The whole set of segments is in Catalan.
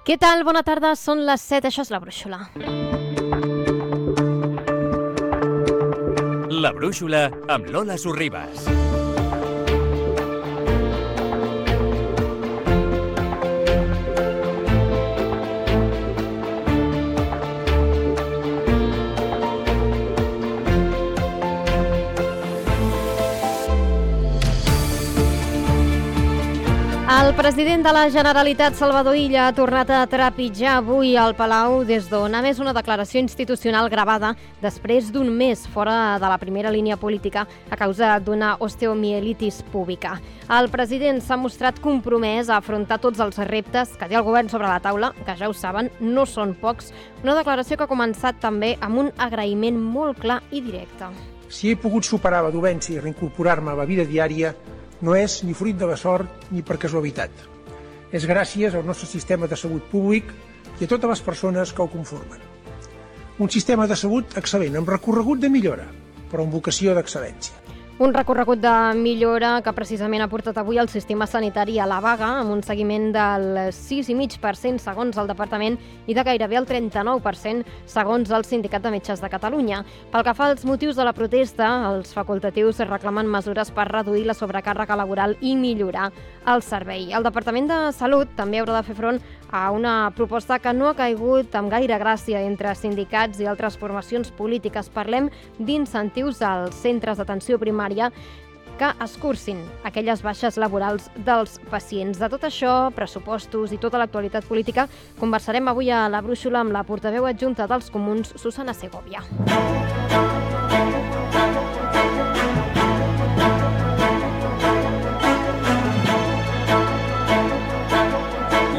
Què tal? Bona tarda, són les 7, això és La Brúixola. La Brúixola amb Lola Sorribas. El president de la Generalitat, Salvador Illa, ha tornat a trepitjar avui al Palau des d'on ha emès una declaració institucional gravada després d'un mes fora de la primera línia política a causa d'una osteomielitis púbica. El president s'ha mostrat compromès a afrontar tots els reptes que té el govern sobre la taula, que ja ho saben, no són pocs, una declaració que ha començat també amb un agraïment molt clar i directe. Si he pogut superar la dolència i reincorporar-me a la vida diària, no és ni fruit de la sort ni per casualitat. És gràcies al nostre sistema de salut públic i a totes les persones que el conformen. Un sistema de salut excel·lent, amb recorregut de millora, però amb vocació d'excel·lència. Un recorregut de millora que precisament ha portat avui el sistema sanitari a la vaga, amb un seguiment del 6,5% segons el departament i de gairebé el 39% segons el Sindicat de Metges de Catalunya. Pel que fa als motius de la protesta, els facultatius reclamen mesures per reduir la sobrecàrrega laboral i millorar el servei. El Departament de Salut també haurà de fer front a una proposta que no ha caigut amb gaire gràcia entre sindicats i altres formacions polítiques. Parlem d'incentius als centres d'atenció primària que escurcin aquelles baixes laborals dels pacients. De tot això, pressupostos i tota l'actualitat política, conversarem avui a La Brúixola amb la portaveu adjunta dels Comuns, Susana Segovia.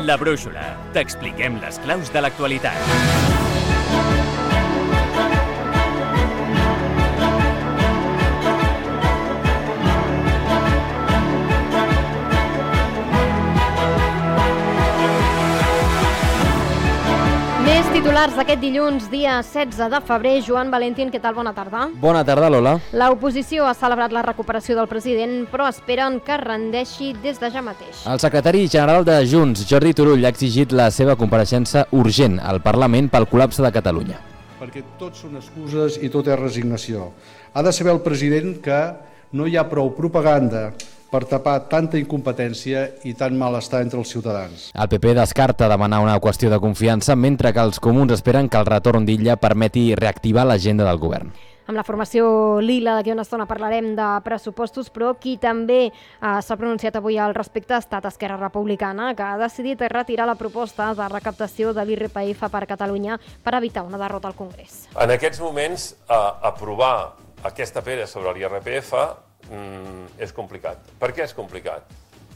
La Brúixola. T'expliquem les claus de l'actualitat. Més titulars d'aquest dilluns, dia 16 de febrer. Joan Valentín, què tal? Bona tarda. Bona tarda, Lola. L'oposició ha celebrat la recuperació del president, però esperen que rendeixi des de ja mateix. El secretari general de Junts, Jordi Turull, ha exigit la seva compareixença urgent al Parlament pel col·lapse de Catalunya. Perquè tot són excuses i tot és resignació. Ha de saber el president que no hi ha prou propaganda per tapar tanta incompetència i tant malestar entre els ciutadans. El PP descarta demanar una qüestió de confiança, mentre que els comuns esperen que el retorn d'Illa permeti reactivar l'agenda del govern. Amb la formació Lila, d'aquí una estona parlarem de pressupostos, però qui també s'ha pronunciat avui al respecte ha estat Esquerra Republicana, que ha decidit retirar la proposta de recaptació de l'IRPF per Catalunya per evitar una derrota al Congrés. En aquests moments, aprovar aquesta pedra sobre l'IRPF és complicat. Per què és complicat?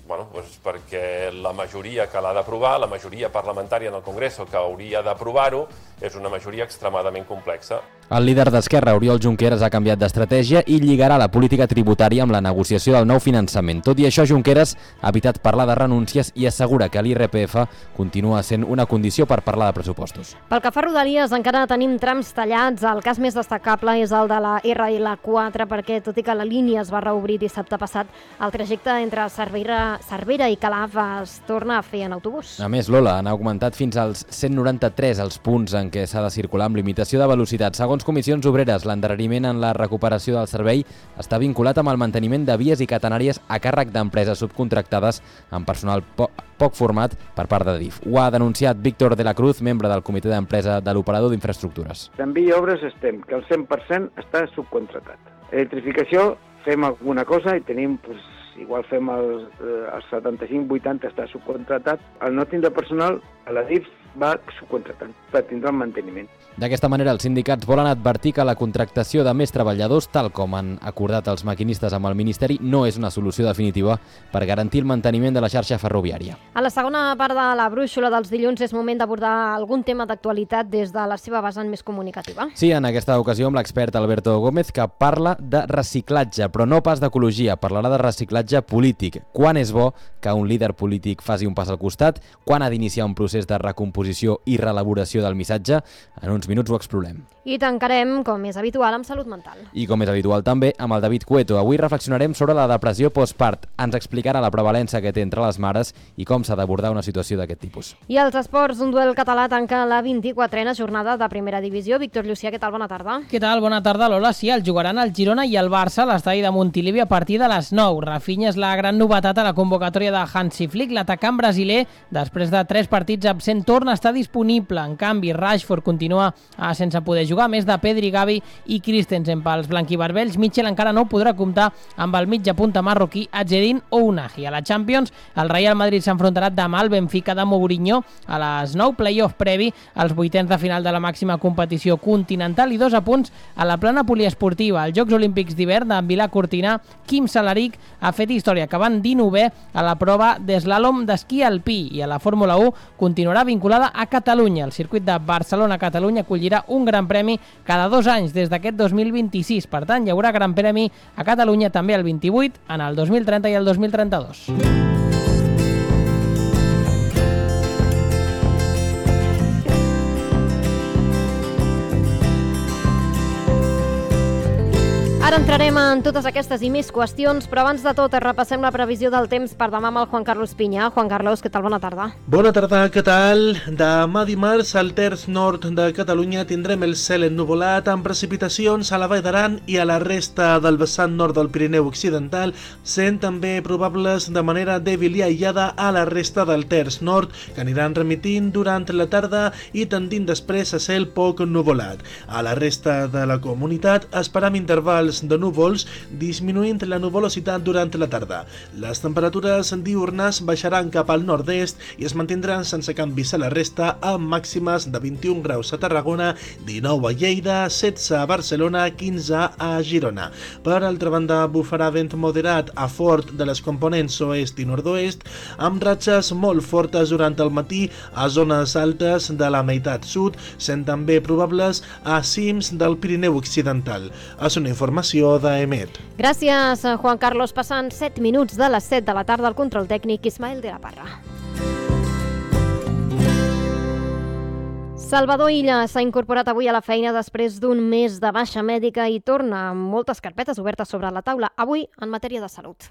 Doncs perquè la majoria que l'ha d'aprovar, la majoria parlamentària en el Congrés que hauria d'aprovar-ho, és una majoria extremadament complexa. El líder d'Esquerra, Oriol Junqueras, ha canviat d'estratègia i lligarà la política tributària amb la negociació del nou finançament. Tot i això, Junqueras ha evitat parlar de renúncies i assegura que l'IRPF continua sent una condició per parlar de pressupostos. Pel que fa a Rodalies, encara tenim trams tallats. El cas més destacable és el de la RL4, perquè tot i que la línia es va reobrir dissabte passat, el trajecte entre Cervera i Calaf es torna a fer en autobús. A més, Lola, han augmentat fins als 193 els punts en què s'ha de circular amb limitació de velocitat. Segons Comissions Obreres, l'endarreriment en la recuperació del servei està vinculat amb el manteniment de vies i catenàries a càrrec d'empreses subcontractades amb personal poc format per part de DIF. Ho ha denunciat Víctor de la Cruz, membre del comitè d'empresa de l'operador d'infraestructures. En via obres estem, que el 100% està subcontratat. Electrificació, fem alguna cosa i tenim, igual fem el 75-80 està subcontratat. Al no tindre personal, a la DIF va subcontratant per tindre el manteniment. D'aquesta manera, els sindicats volen advertir que la contractació de més treballadors, tal com han acordat els maquinistes amb el Ministeri, no és una solució definitiva per garantir el manteniment de la xarxa ferroviària. A la segona part de La Brúixola dels dilluns és moment d'abordar algun tema d'actualitat des de la seva vessant més comunicativa. Sí, en aquesta ocasió amb l'expert Alberto Gómez, que parla de reciclatge, però no pas d'ecologia. Parlarà de reciclatge missatge polític. Quan és bo que un líder polític faci un pas al costat? Quan ha d'iniciar un procés de recomposició i reelaboració del missatge? En uns minuts ho explorem. I tancarem, com és habitual, amb salut mental. I com és habitual també, amb el David Cueto. Avui reflexionarem sobre la depressió postpart. Ens explicarà la prevalença que té entre les mares i com s'ha d'abordar una situació d'aquest tipus. I als esports, un duel català tanca la 24a jornada de primera divisió. Víctor Llucià, què tal? Bona tarda. Què tal? Bona tarda, Lola. Sí, el jugaran el Girona i el Barça a l'estadi de Montilivi a partir de les 9. Rafinha és la gran novetat a la convocatòria de Hansi Flick. L'atacant brasiler, després de 3 partits absent, torna a estar disponible. En canvi, Rashford continua sense poder jugar, més de Pedri, Gavi i Christensen. Pels blanquivarbells, Mitchell encara no podrà comptar amb el mitja punta marroquí Adjedin Ounahi. A la Champions, el Real Madrid s'enfrontarà demà al Benfica de Mourinho a les 9, playoff previ als vuitens de final de la màxima competició continental i 2 a punts a la plana poliesportiva. Als Jocs Olímpics d'hivern d'en Vilà Cortina, Quim Salaric ha fet història, acabant 19è a la prova d'eslàlom d'esquí alpí, i a la Fórmula 1 continuarà vinculada a Catalunya. El circuit de Barcelona-Catalunya acollirà un gran premi cada 2 anys des d'aquest 2026. Per tant, hi haurà gran premi a Catalunya també el 28, en el 2030 i el 2032. Ara entrarem en totes aquestes i més qüestions, però abans de tot repassem la previsió del temps per demà amb el Juan Carlos Piña. Juan Carlos, què tal? Bona tarda. Bona tarda, què tal? Demà dimarts al terç nord de Catalunya tindrem el cel ennuvolat amb precipitacions a la Vall d'Aran i a la resta del vessant nord del Pirineu Occidental, sent també probables de manera dèbil i aïllada a la resta del terç nord, que aniran remitint durant la tarda i tendint després a cel poc ennuvolat. A la resta de la comunitat esperam intervals de núvols, disminuint la nuvolositat durant la tarda. Les temperatures diürnes baixaran cap al nord-est i es mantindran sense canvis a la resta, amb màximes de 21 graus a Tarragona, 19 a Lleida, 16 a Barcelona, 15 a Girona. Per altra banda, bufarà vent moderat a fort de les components oest i nord-oest, amb ratxes molt fortes durant el matí a zones altes de la meitat sud, sent també probables a cims del Pirineu Occidental. És una informació d'EMET. Gràcies, Juan Carlos. Passant 7 minuts de les 7 de la tarda al control tècnic, Ismael de la Parra. Salvador Illa s'ha incorporat avui a la feina després d'un mes de baixa mèdica i torna amb moltes carpetes obertes sobre la taula, avui en matèria de salut.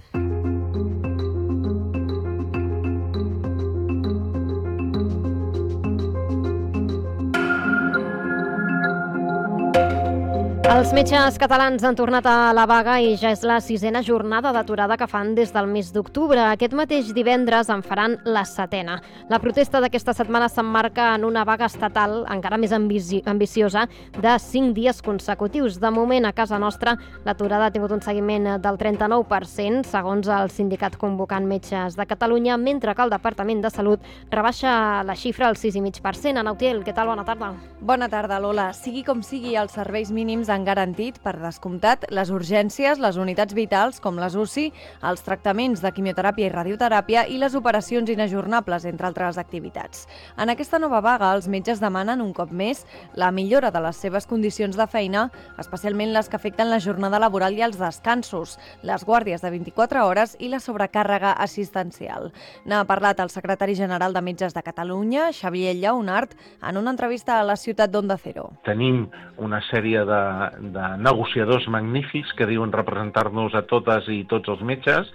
Els metges catalans han tornat a la vaga i ja és la 6a jornada d'aturada que fan des del mes d'octubre. Aquest mateix divendres en faran la 7a. La protesta d'aquesta setmana s'emmarca en una vaga estatal encara més ambiciosa de 5 dies consecutius. De moment, a casa nostra, l'aturada ha tingut un seguiment del 39%, segons el sindicat convocant Metges de Catalunya, mentre que el Departament de Salut rebaixa la xifra al 6,5%. Ana Utiel, què tal? Bona tarda. Bona tarda, Lola. Sigui com sigui, els serveis mínims han garantit, per descomptat, les urgències, les unitats vitals, com les UCI, els tractaments de quimioteràpia i radioteràpia i les operacions inajornables, entre altres activitats. En aquesta nova vaga, els metges demanen un cop més la millora de les seves condicions de feina, especialment les que afecten la jornada laboral i els descansos, les guàrdies de 24 hores i la sobrecàrrega assistencial. N'ha parlat el secretari general de Metges de Catalunya, Xavier Lleonart, en una entrevista a la ciutat d'Onda Cero. Tenim una sèrie de negociadors magnífics que diuen representar-nos a totes i tots els metges,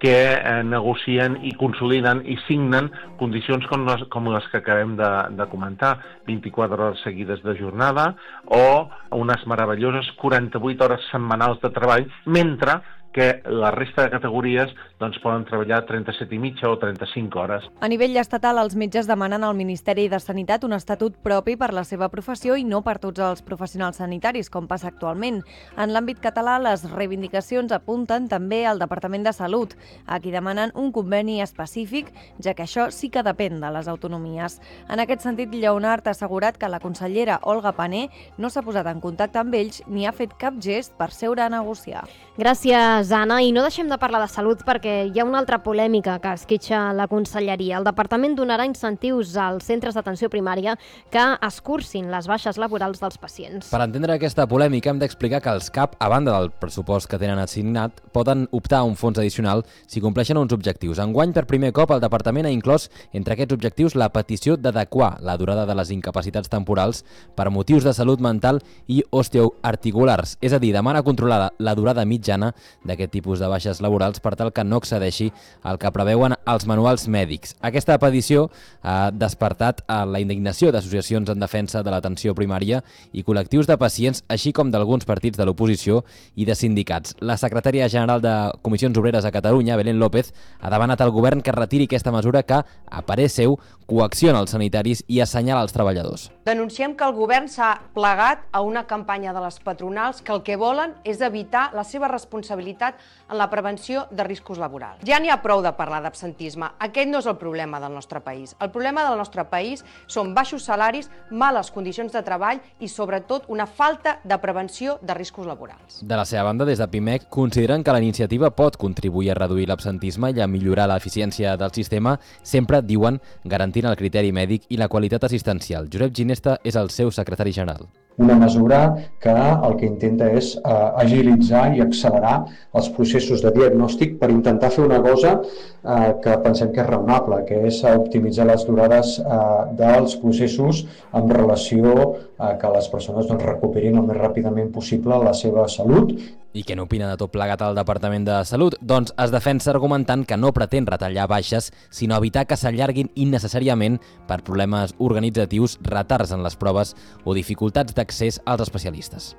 que negocien i consoliden i signen condicions com les que acabem de comentar, 24 hores seguides de jornada o unes meravelloses 48 hores setmanals de treball, mentre que la resta de categories poden treballar 37 i mitja o 35 hores. A nivell estatal, els metges demanen al Ministeri de Sanitat un estatut propi per la seva professió i no per tots els professionals sanitaris, com passa actualment. En l'àmbit català, les reivindicacions apunten també al Departament de Salut, a qui demanen un conveni específic, ja que això sí que depèn de les autonomies. En aquest sentit, Lleonart ha assegurat que la consellera Olga Pané no s'ha posat en contacte amb ells ni ha fet cap gest per seure a negociar. Gràcies, Gràcies, Anna. I no deixem de parlar de salut perquè hi ha una altra polèmica que esquitxa la Conselleria. El Departament donarà incentius als centres d'atenció primària que escurcin les baixes laborals dels pacients. Per entendre aquesta polèmica hem d'explicar que els CAP, a banda del pressupost que tenen assignat, poden optar a un fons addicional si compleixen uns objectius. Enguany, per primer cop, el Departament ha inclòs entre aquests objectius la petició d'adequar la durada de les incapacitats temporals per motius de salut mental i osteoarticulars. És a dir, demana controlar la durada mitjana d'aquest tipus de baixes laborals per tal que no excedeixi el que preveuen els manuals mèdics. Aquesta petició ha despertat la indignació d'associacions en defensa de l'atenció primària i col·lectius de pacients, així com d'alguns partits de l'oposició i de sindicats. La secretària general de Comissions Obreres a Catalunya, Belén López, ha demanat al govern que retiri aquesta mesura que, a parer seu, coacciona els sanitaris i assenyala els treballadors. Denunciem que el govern s'ha plegat a una campanya de les patronals que el que volen és evitar la seva responsabilitat en la prevenció de riscos laborals. Ja n'hi ha prou de parlar d'absentisme. Aquest no és el problema del nostre país. El problema del nostre país són baixos salaris, males condicions de treball i, sobretot, una falta de prevenció de riscos laborals. De la seva banda, des de PIMEC, consideren que la iniciativa pot contribuir a reduir l'absentisme i a millorar l'eficiència del sistema, sempre, diuen, garantint el criteri mèdic i la qualitat assistencial. Josep Ginesta és el seu secretari general. Una mesura que el que intenta és agilitzar i accelerar els processos de diagnòstic per intentar fer una cosa que pensem que és raonable, que és optimitzar les durades dels processos en relació a que les persones recuperin el més ràpidament possible la seva salut. I què n'opina de tot plegat al Departament de Salut? Doncs es defensa argumentant que no pretén retallar baixes, sinó evitar que s'allarguin innecessàriament per problemes organitzatius, retards en les proves o dificultats d'accés als especialistes.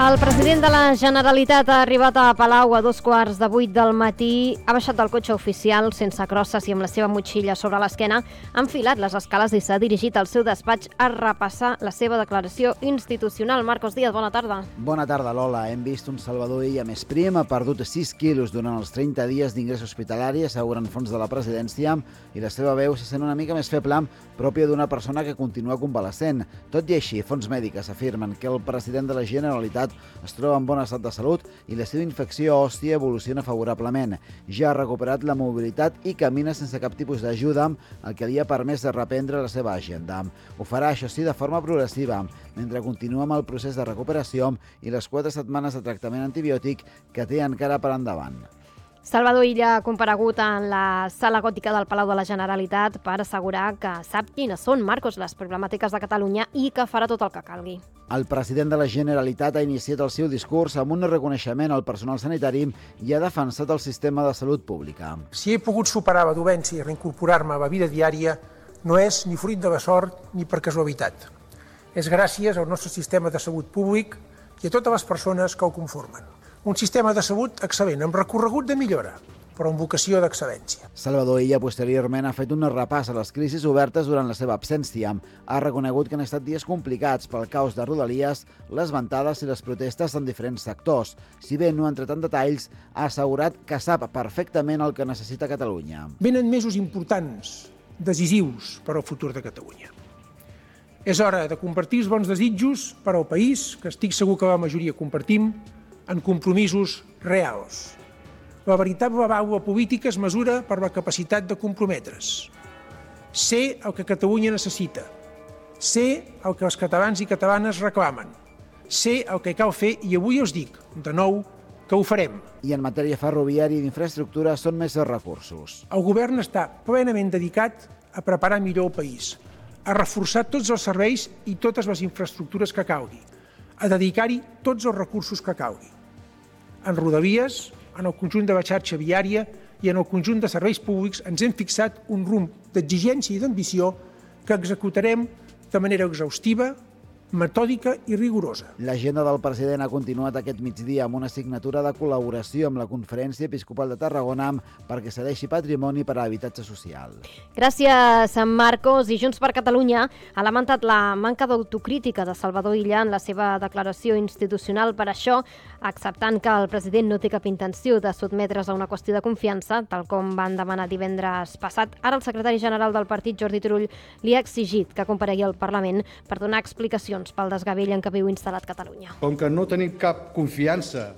El president de la Generalitat ha arribat a Palau a 7:15 del matí, ha baixat del cotxe oficial sense crosses i amb la seva motxilla sobre l'esquena, ha enfilat les escales i s'ha dirigit al seu despatx a repassar la seva declaració institucional. Marcos Díaz, bona tarda. Bona tarda, Lola. Hem vist un Salvador Illa més prim, ha perdut 6 quilos durant els 30 dies d'ingrés hospitalari, asseguren fons de la presidència, i la seva veu se sent una mica més feble, pròpia d'una persona que continua convalescent. Tot i així, fons mèdiques afirmen que el president de la Generalitat es troba en bon estat de salut i la seva infecció òssia evoluciona favorablement. Ja ha recuperat la mobilitat i camina sense cap tipus d'ajuda, el que li ha permès de reprendre la seva agenda. Ho farà, això sí, de forma progressiva, mentre continua amb el procés de recuperació i les 4 setmanes de tractament antibiòtic que té encara per endavant. Salvador Illa ha comparegut en la sala gòtica del Palau de la Generalitat per assegurar que sap quines són, Marcos, les problemàtiques de Catalunya i que farà tot el que calgui. El president de la Generalitat ha iniciat el seu discurs amb un reconeixement al personal sanitari i ha defensat el sistema de salut pública. Si he pogut superar la dolència i reincorporar-me a la vida diària, no és ni fruit de la sort ni per casualitat. És gràcies al nostre sistema de salut públic i a totes les persones que el conformen. Un sistema de salut excel·lent, amb recorregut de millora, però amb vocació d'excel·lència. Salvador Illa posteriorment ha fet un repàs a les crisis obertes durant la seva absència. Ha reconegut que han estat dies complicats pel caos de Rodalies, les ventades i les protestes en diferents sectors. Si bé no ha entrat en detalls, ha assegurat que sap perfectament el que necessita Catalunya. Venen mesos importants, decisius per al futur de Catalunya. És hora de compartir els bons desitjos per al país, que estic segur que la majoria compartim, en compromisos reals. La veritable vàlua política es mesura per la capacitat de comprometre's. Ser el que Catalunya necessita. Ser el que els catalans i catalanes reclamen. Ser el que cal fer, i avui us dic, de nou, que ho farem. I en matèria ferroviària i d'infraestructura són més els recursos. El govern està plenament dedicat a preparar millor el país, a reforçar tots els serveis i totes les infraestructures que calgui, a dedicar-hi tots els recursos que calgui. En Rodalies, en el conjunt de la xarxa viària i en el conjunt de serveis públics ens hem fixat un rumb d'exigència i d'ambició que executarem de manera exhaustiva, metòdica i rigorosa. L'agenda del president ha continuat aquest migdia amb una signatura de col·laboració amb la Conferència Episcopal de Tarragona perquè cedeixi patrimoni per a habitatge social. Gràcies, Marcos. I Junts per Catalunya ha lamentat la manca d'autocrítica de Salvador Illa en la seva declaració institucional. Per això, acceptant que el president no té cap intenció de sotmetre's a una qüestió de confiança, tal com van demanar divendres passat, ara el secretari general del partit, Jordi Turull, li ha exigit que comparegui al Parlament per donar explicacions pel desgavell en què viu instal·lat Catalunya. Com que no tenim cap confiança,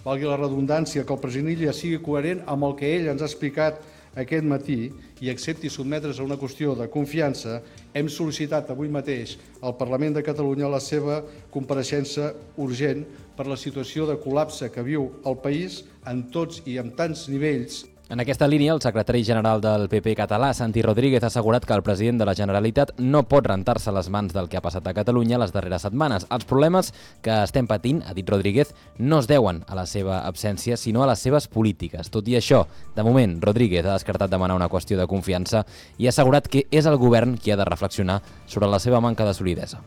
valgui la redundància, que el president Illa sigui coherent amb el que ell ens ha explicat aquest matí i accepti sotmetre's a una qüestió de confiança, hem sol·licitat avui mateix al Parlament de Catalunya la seva compareixença urgent per la situació de col·lapse que viu el país en tots i en tants nivells. En aquesta línia, el secretari general del PP català, Santi Rodríguez, ha assegurat que el president de la Generalitat no pot rentar-se les mans del que ha passat a Catalunya les darreres setmanes. Els problemes que estem patint, ha dit Rodríguez, no es deuen a la seva absència, sinó a les seves polítiques. Tot i això, de moment, Rodríguez ha descartat demanar una qüestió de confiança i ha assegurat que és el govern qui ha de reflexionar sobre la seva manca de solidesa.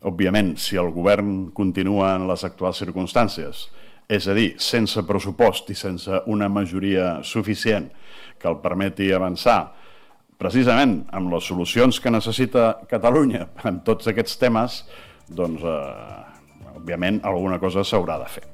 Òbviament, si el govern continua en les actuals circumstàncies, és a dir, sense pressupost i sense una majoria suficient que el permeti avançar precisament amb les solucions que necessita Catalunya en tots aquests temes, doncs, òbviament, alguna cosa s'haurà de fer.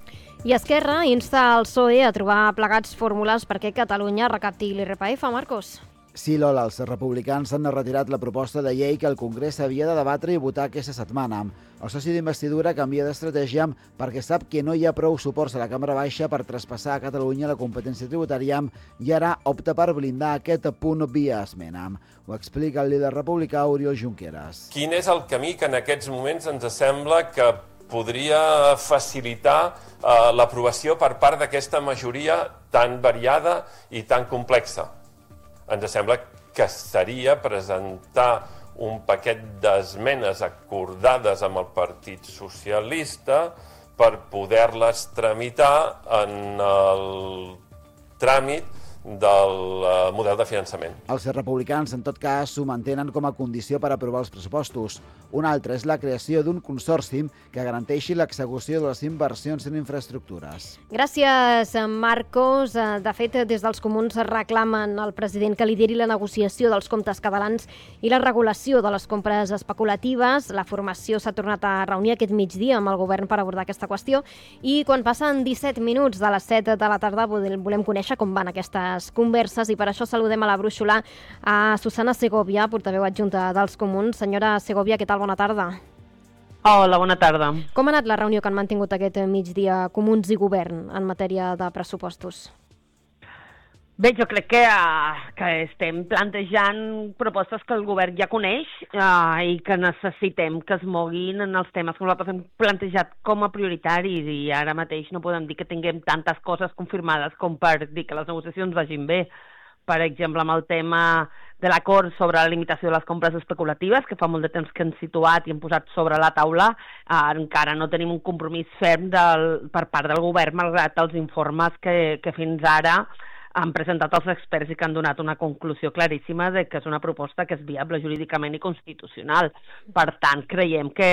I Esquerra insta el PSOE a trobar plegats fórmules perquè Catalunya recapti l'IRPF, Marcos. Sí, Lola, els republicans han retirat la proposta de llei que el Congrés havia de debatre i votar aquesta setmana. El soci d'investidura canvia d'estratègia perquè sap que no hi ha prou suports a la Cambra Baixa per traspassar a Catalunya la competència tributària i ara opta per blindar aquest punt via esmena. Ho explica el líder republicà Oriol Junqueras. Quin és el camí que en aquests moments ens sembla que podria facilitar l'aprovació per part d'aquesta majoria tan variada i tan complexa? Ens sembla que seria presentar un paquet d'esmenes acordades amb el Partit Socialista per poder-les tramitar en el tràmit del model de finançament. Els republicans, en tot cas, s'ho mantenen com a condició per aprovar els pressupostos. Una altra és la creació d'un consorci que garanteixi l'execució de les inversions en infraestructures. Gràcies, Marcos. De fet, des dels comuns reclamen al president que lideri la negociació dels comptes catalans i la regulació de les compres especulatives. La formació s'ha tornat a reunir aquest migdia amb el govern per abordar aquesta qüestió i quan passen 17 minuts de les 7 de la tarda volem conèixer com van aquestes converses i per això saludem a la brúixola a Susana Segovia, portaveu adjunta dels comuns. Senyora Segovia, què tal? Bona tarda. Hola, bona tarda. Com ha anat la reunió que han mantingut aquest migdia comuns i govern en matèria de pressupostos? Bé, jo crec que estem plantejant propostes que el govern ja coneix i que necessitem que es moguin en els temes que nosaltres hem plantejat com a prioritaris i ara mateix no podem dir que tinguem tantes coses confirmades com per dir que les negociacions vagin bé. Per exemple, amb el tema de l'acord sobre la limitació de les compres especulatives, que fa molt de temps que hem situat i hem posat sobre la taula, encara no tenim un compromís ferm per part del govern, malgrat els informes que fins ara han presentat els experts i que han donat una conclusió claríssima de que és una proposta que és viable jurídicament i constitucional. Per tant, creiem que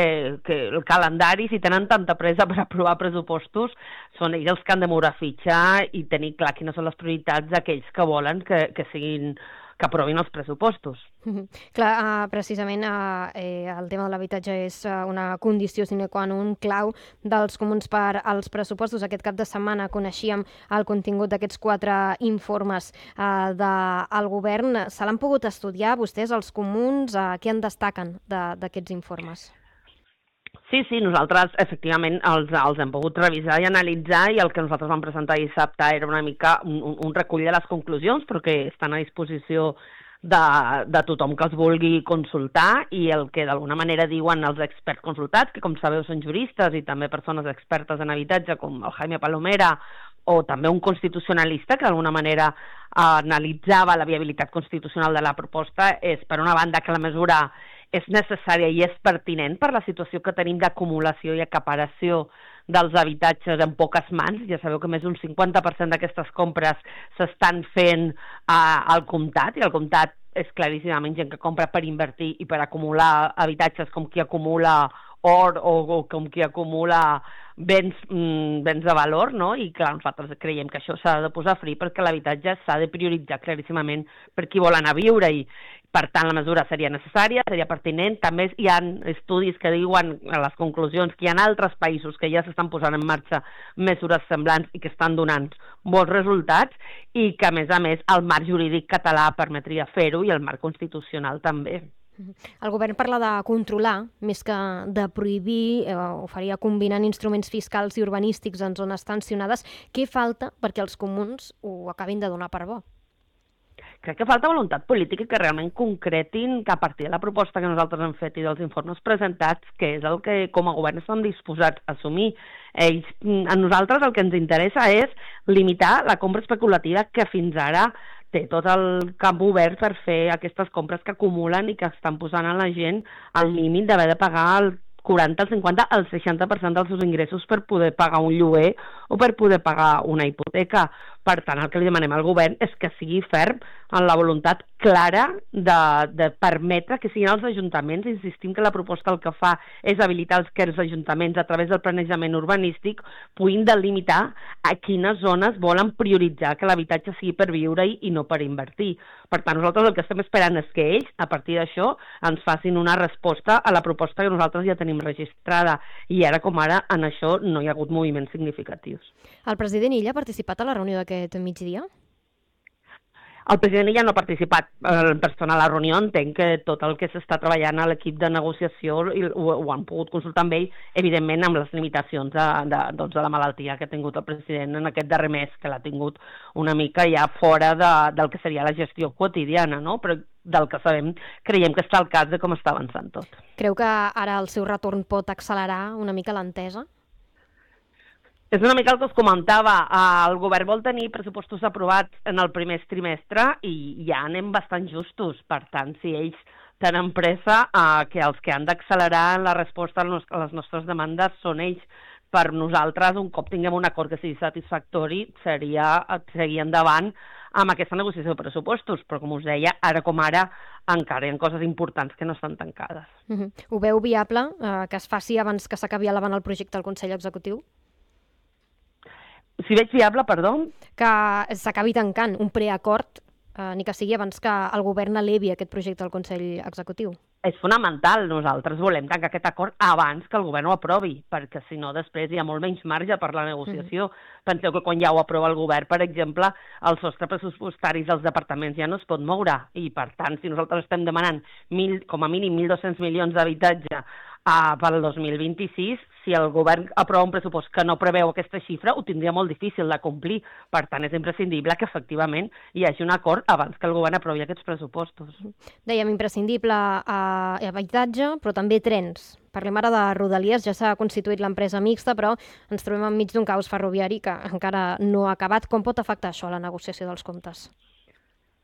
el calendari, si tenen tanta pressa per aprovar pressupostos, són ells els que han de moure fitxa i tenir clar quines són les prioritats d'aquells que volen que aprovin els pressupostos. Clar, precisament el tema de l'habitatge és una condició sine qua non clau dels comuns per als pressupostos. Aquest cap de setmana coneixíem el contingut d'aquests 4 informes del govern. Se l'han pogut estudiar vostès, els comuns? Què en destaquen d'aquests informes? Sí, nosaltres efectivament els hem pogut revisar i analitzar i el que nosaltres vam presentar dissabte era una mica un recull de les conclusions, però que estan a disposició de tothom que els vulgui consultar i el que d'alguna manera diuen els experts consultats, que com sabeu són juristes i també persones expertes en habitatge com el Jaime Palomera o també un constitucionalista que d'alguna manera analitzava la viabilitat constitucional de la proposta, és per una banda que la mesura és necessària i és pertinent per la situació que tenim d'acumulació i acaparació dels habitatges en poques mans. Ja sabeu que més d'un 50% d'aquestes compres s'estan fent al comptat i el comptat és claríssimament gent que compra per invertir i per acumular habitatges com qui acumula or o com qui acumula béns de valor, no? I clar, nosaltres creiem que això s'ha de posar fri perquè l'habitatge s'ha de prioritzar claríssimament per qui vol anar a viure-hi. Per tant, la mesura seria necessària, seria pertinent. També hi ha estudis que diuen a les conclusions que hi ha altres països que ja s'estan posant en marxa mesures semblants i que estan donant bons resultats i que, a més, el marc jurídic català permetria fer-ho i el marc constitucional també. El govern parla de controlar, més que de prohibir, ho faria combinant instruments fiscals i urbanístics en zones tensionades. Què falta perquè els comuns ho acabin de donar per bo? Crec que falta voluntat política que realment concretin que a partir de la proposta que nosaltres hem fet i dels informes presentats, que és el que com a govern estem disposats a assumir. A nosaltres el que ens interessa és limitar la compra especulativa que fins ara té tot el camp obert per fer aquestes compres que acumulen i que estan posant a la gent al límit d'haver de pagar el 40, el 50, el 60% dels seus ingressos per poder pagar un lloguer o per poder pagar una hipoteca. Per tant, el que li demanem al govern és que sigui ferm en la voluntat clara de permetre que siguin els ajuntaments. Insistim que la proposta el que fa és habilitar que els ajuntaments a través del planejament urbanístic puguin delimitar a quines zones volen prioritzar que l'habitatge sigui per viure-hi i no per invertir. Per tant, nosaltres el que estem esperant és que ells, a partir d'això, ens facin una resposta a la proposta que nosaltres ja tenim registrada. I ara com ara, en això no hi ha hagut moviments significatius. El president Illa ha participat a la reunió d'aquest migdia? El president ja no ha participat en persona a la reunió, entenc que tot el que s'està treballant a l'equip de negociació ho han pogut consultar amb ell, evidentment amb les limitacions de la malaltia que ha tingut el president en aquest darrer mes, que l'ha tingut una mica ja fora del que seria la gestió quotidiana, no? Però del que sabem, creiem que està al cas de com està avançant tot. Creu que ara el seu retorn pot accelerar una mica l'entesa? És una mica el que us comentava, el govern vol tenir pressupostos aprovats en el primer trimestre i ja anem bastant justos, per tant, si ells tenen pressa, que els que han d'accelerar en la resposta a les nostres demandes són ells. Per nosaltres, un cop tinguem un acord que sigui satisfactori, seria seguir endavant amb aquesta negociació de pressupostos, però com us deia, ara com ara encara hi ha coses importants que no estan tancades. Ho veu viable que es faci abans que s'acabi elevant el projecte al Consell Executiu? Si veig viable, perdó? Que s'acabi tancant un preacord, ni que sigui abans que el govern elevi aquest projecte al Consell Executiu. És fonamental. Nosaltres volem tancar aquest acord abans que el govern ho aprovi, perquè si no després hi ha molt menys marge per la negociació. Penseu que quan ja ho aprova el govern, per exemple, el sostre pressupostari dels departaments ja no es pot moure. I, per tant, si nosaltres estem demanant com a mínim 1.200 milions d'habitatge pel 2026, si el govern aprova un pressupost que no preveu aquesta xifra, ho tindria molt difícil de complir. Per tant, és imprescindible que efectivament hi hagi un acord abans que el govern aprovi aquests pressupostos. Dèiem imprescindible habitatge, però també trens. Parlem ara de Rodalies, ja s'ha constituït l'empresa mixta, però ens trobem enmig d'un caos ferroviari que encara no ha acabat. Com pot afectar això a la negociació dels comptes?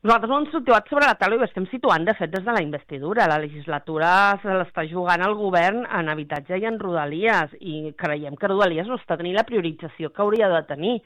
Nosaltres ho hem situat sobre la taula i ho estem situant, de fet, des de la investidura. La legislatura se l'està jugant al govern en habitatge i en Rodalies, i creiem que Rodalies no està tenint la priorització que hauria de tenir.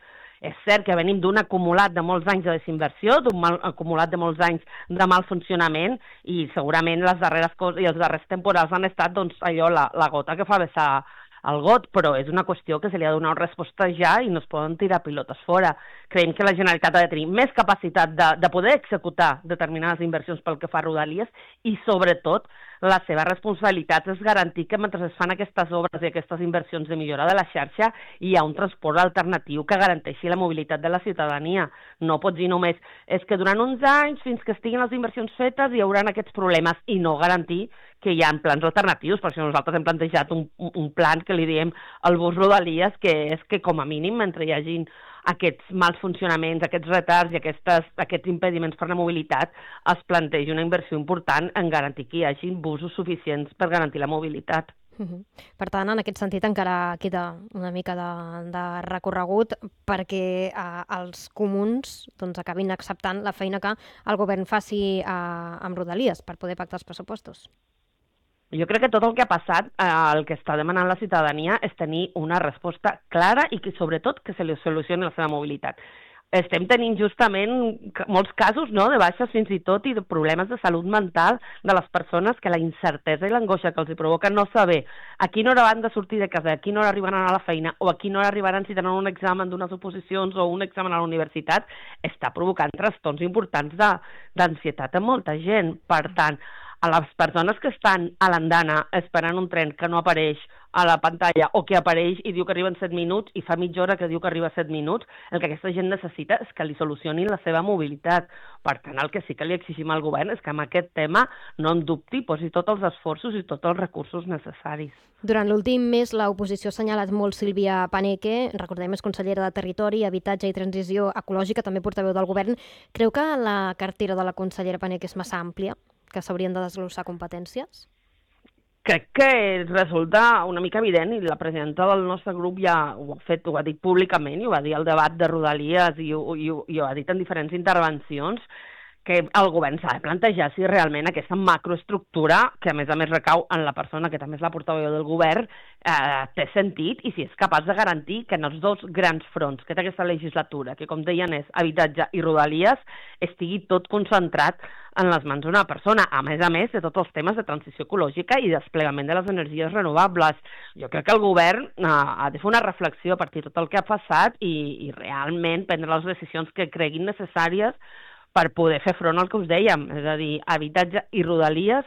És cert que venim d'un acumulat de molts anys de desinversió, d'un acumulat de molts anys de mal funcionament, i segurament les darreres coses i els darrers temporals han estat allò, la gota que fa vessar el got, però és una qüestió que se li ha de donar una resposta ja i no es poden tirar pilotes fora. Creiem que la Generalitat ha de tenir més capacitat de poder executar determinades inversions pel que fa a Rodalies i, sobretot, la seva responsabilitat és garantir que mentre es fan aquestes obres i aquestes inversions de millora de la xarxa hi ha un transport alternatiu que garanteixi la mobilitat de la ciutadania. No pot dir només és que durant uns anys, fins que estiguin les inversions fetes, hi haurà aquests problemes i no garantir que hi ha plans alternatius. Per això nosaltres hem plantejat un plan que li diem al bus Rodalies, que és que com a mínim, mentre hi hagin aquests mals funcionaments, aquests retards i aquests impediments per la mobilitat, es plantegi una inversió important en garantir que hi hagi busos suficients per garantir la mobilitat. Per tant, en aquest sentit encara queda una mica de recorregut perquè els comuns acabin acceptant la feina que el govern faci amb Rodalies per poder pactar els pressupostos. Jo crec que tot el que ha passat, el que està demanant la ciutadania és tenir una resposta clara i que, sobretot, que se li solucioni la seva mobilitat. estem tenint justament molts casos, no?, de baixes fins i tot i de problemes de salut mental de les persones, que la incertesa i l'angoixa que els hi provoca no saber a quina hora van de sortir de casa, a quina hora arribaran a la feina o a quina hora arribaran si tenen un examen d'unes oposicions o un examen a la universitat, està provocant trastorns importants d'ansietat a molta gent. Per tant, a les persones que estan a l'andana esperant un tren que no apareix a la pantalla o que apareix i diu que arriba en 7 minuts i fa mitja hora que diu que arriba a 7 minuts, el que aquesta gent necessita és que li solucionin la seva mobilitat. Per tant, el que sí que li exigim al govern és que en aquest tema no en dubti, posi tots els esforços i tots els recursos necessaris. Durant l'últim mes, l'oposició ha assenyalat molt Sílvia Paneque, recordem, és consellera de Territori, Habitatge i Transició Ecològica, també portaveu del govern. Creu que la cartera de la consellera Paneque és massa àmplia, que s'haurien de desglossar competències? Crec que resulta una mica evident, i la presidenta del nostre grup ja ho ha dit públicament, i ho va dir al debat de Rodalies i ho ha dit en diferents intervencions, que el govern s'ha de plantejar si realment aquesta macroestructura, que a més recau en la persona que també és la portaveu del govern, té sentit, i si és capaç de garantir que en els dos grans fronts que té aquesta legislatura, que com deien és habitatge i Rodalies, estigui tot concentrat en les mans d'una persona, a més de tots els temes de transició ecològica i desplegament de les energies renovables. Jo crec que el govern ha de fer una reflexió a partir de tot el que ha passat i realment prendre les decisions que creguin necessàries per poder fer front al que us dèiem, és a dir, habitatge i Rodalies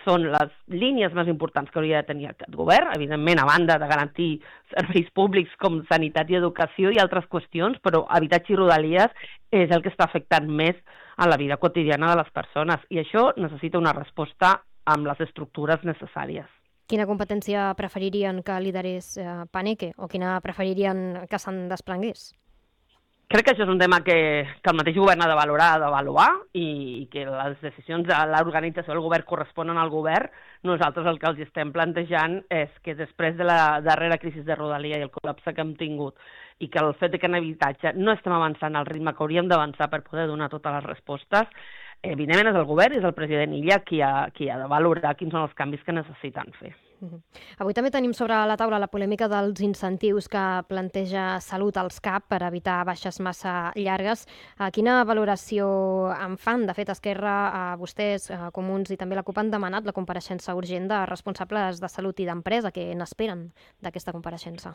són les línies més importants que hauria de tenir aquest govern, evidentment, a banda de garantir serveis públics com sanitat i educació i altres qüestions, però habitatge i Rodalies és el que està afectant més a la vida quotidiana de les persones, i això necessita una resposta amb les estructures necessàries. Quina competència preferirien que liderés Paneque, o quina preferirien que se'n desprengués? Crec que això és un tema que el mateix govern ha de valorar, ha d'avaluar, i que les decisions de l'organització del govern corresponen al govern. Nosaltres el que els estem plantejant és que després de la darrera crisi de Rodalia i el col·lapse que hem tingut, i que el fet que en habitatge no estem avançant al ritme que hauríem d'avançar per poder donar totes les respostes, evidentment és el govern i és el president Illa qui ha de valorar quins són els canvis que necessiten fer. Avui també tenim sobre la taula la polèmica dels incentius que planteja Salut als CAP per evitar baixes massa llargues. Quina valoració en fan? De fet, Esquerra, vostès, Comuns i també la CUP han demanat la compareixença urgent de responsables de salut i d'empresa. Què n'esperen d'aquesta compareixença?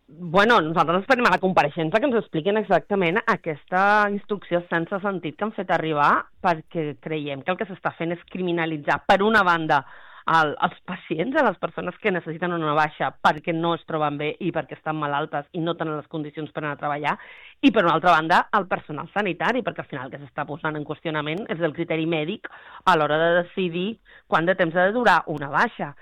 Bueno, nosaltres esperem a la compareixença que ens expliquin exactament aquesta instrucció sense sentit que han fet arribar, perquè creiem que el que s'està fent és criminalitzar, per una banda, als pacients, a les persones que necessiten una baixa perquè no es troben bé i perquè estan malaltes i no tenen les condicions per anar a treballar, i per una altra banda al personal sanitari, perquè al final el que s'està posant en qüestionament és el criteri mèdic a l'hora de decidir quant de temps ha de durar una baixa.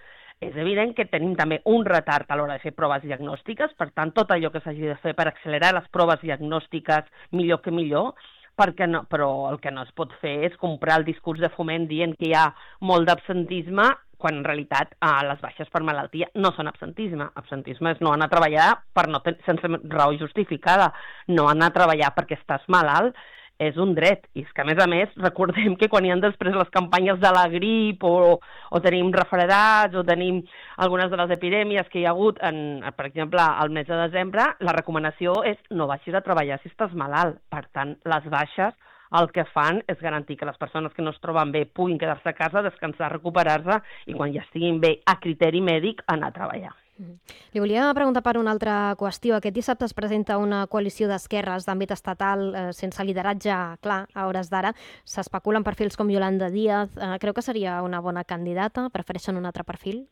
És evident que tenim també un retard a l'hora de fer proves diagnòstiques, per tant, tot allò que s'hagi de fer per accelerar les proves diagnòstiques millor que millor, però el que no es pot fer és comprar el discurs de Foment dient que hi ha molt d'absentisme, quan en realitat les baixes per malaltia no són absentisme. Absentisme és no anar a treballar sense raó justificada, no anar a treballar perquè estàs malalt, és un dret. I és que, a més, recordem que quan hi ha després les campanyes de la grip o tenim refredats o tenim algunes de les epidèmies que hi ha hagut, per exemple, al mes de desembre, la recomanació és no baixis a treballar si estàs malalt. Per tant, les baixes el que fan és garantir que les persones que no es troben bé puguin quedar-se a casa, descansar, recuperar-se i quan ja estiguin bé a criteri mèdic anar a treballar. Li volia preguntar per una altra qüestió. Aquest dissabte es presenta una coalició d'esquerres d'àmbit estatal sense lideratge clar a hores d'ara. S'especulen perfils com Yolanda Díaz. Creu que seria una bona candidata? Prefereixen un altre perfil?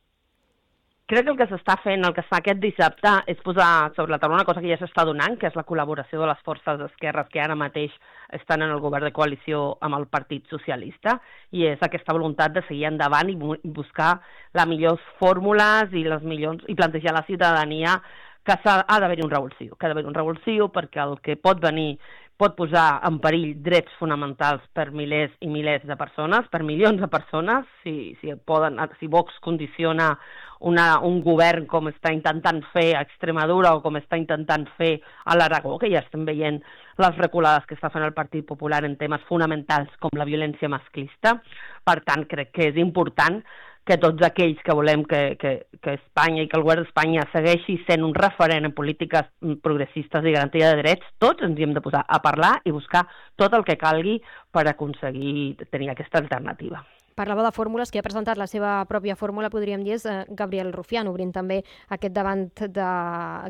Crec que el que s'està fent, el que es fa aquest dissabte, és posar sobre la taula una cosa que ja s'està donant, que és la col·laboració de les forces d'esquerres que ara mateix estan en el govern de coalició amb el Partit Socialista, i és aquesta voluntat de seguir endavant i buscar les millors fórmules i plantejar a la ciutadania que ha d'haver-hi un revulsiu, perquè el que pot venir pot posar en perill drets fonamentals per milers i milers de persones, per milions de persones, si Vox condiciona un govern com està intentant fer a Extremadura o com està intentant fer a l'Aragó, que ja estem veient les reculades que està fent el Partit Popular en temes fonamentals com la violència masclista. Per tant, crec que és important que tots aquells que volem que Espanya i que el govern d'Espanya segueixi sent un referent en polítiques progressistes i garantia de drets, tots ens hi hem de posar a parlar i buscar tot el que calgui per aconseguir tenir aquesta alternativa. Parlava de fórmules, qui ha presentat la seva pròpia fórmula, podríem dir, és Gabriel Rufián, obrint també aquest davant de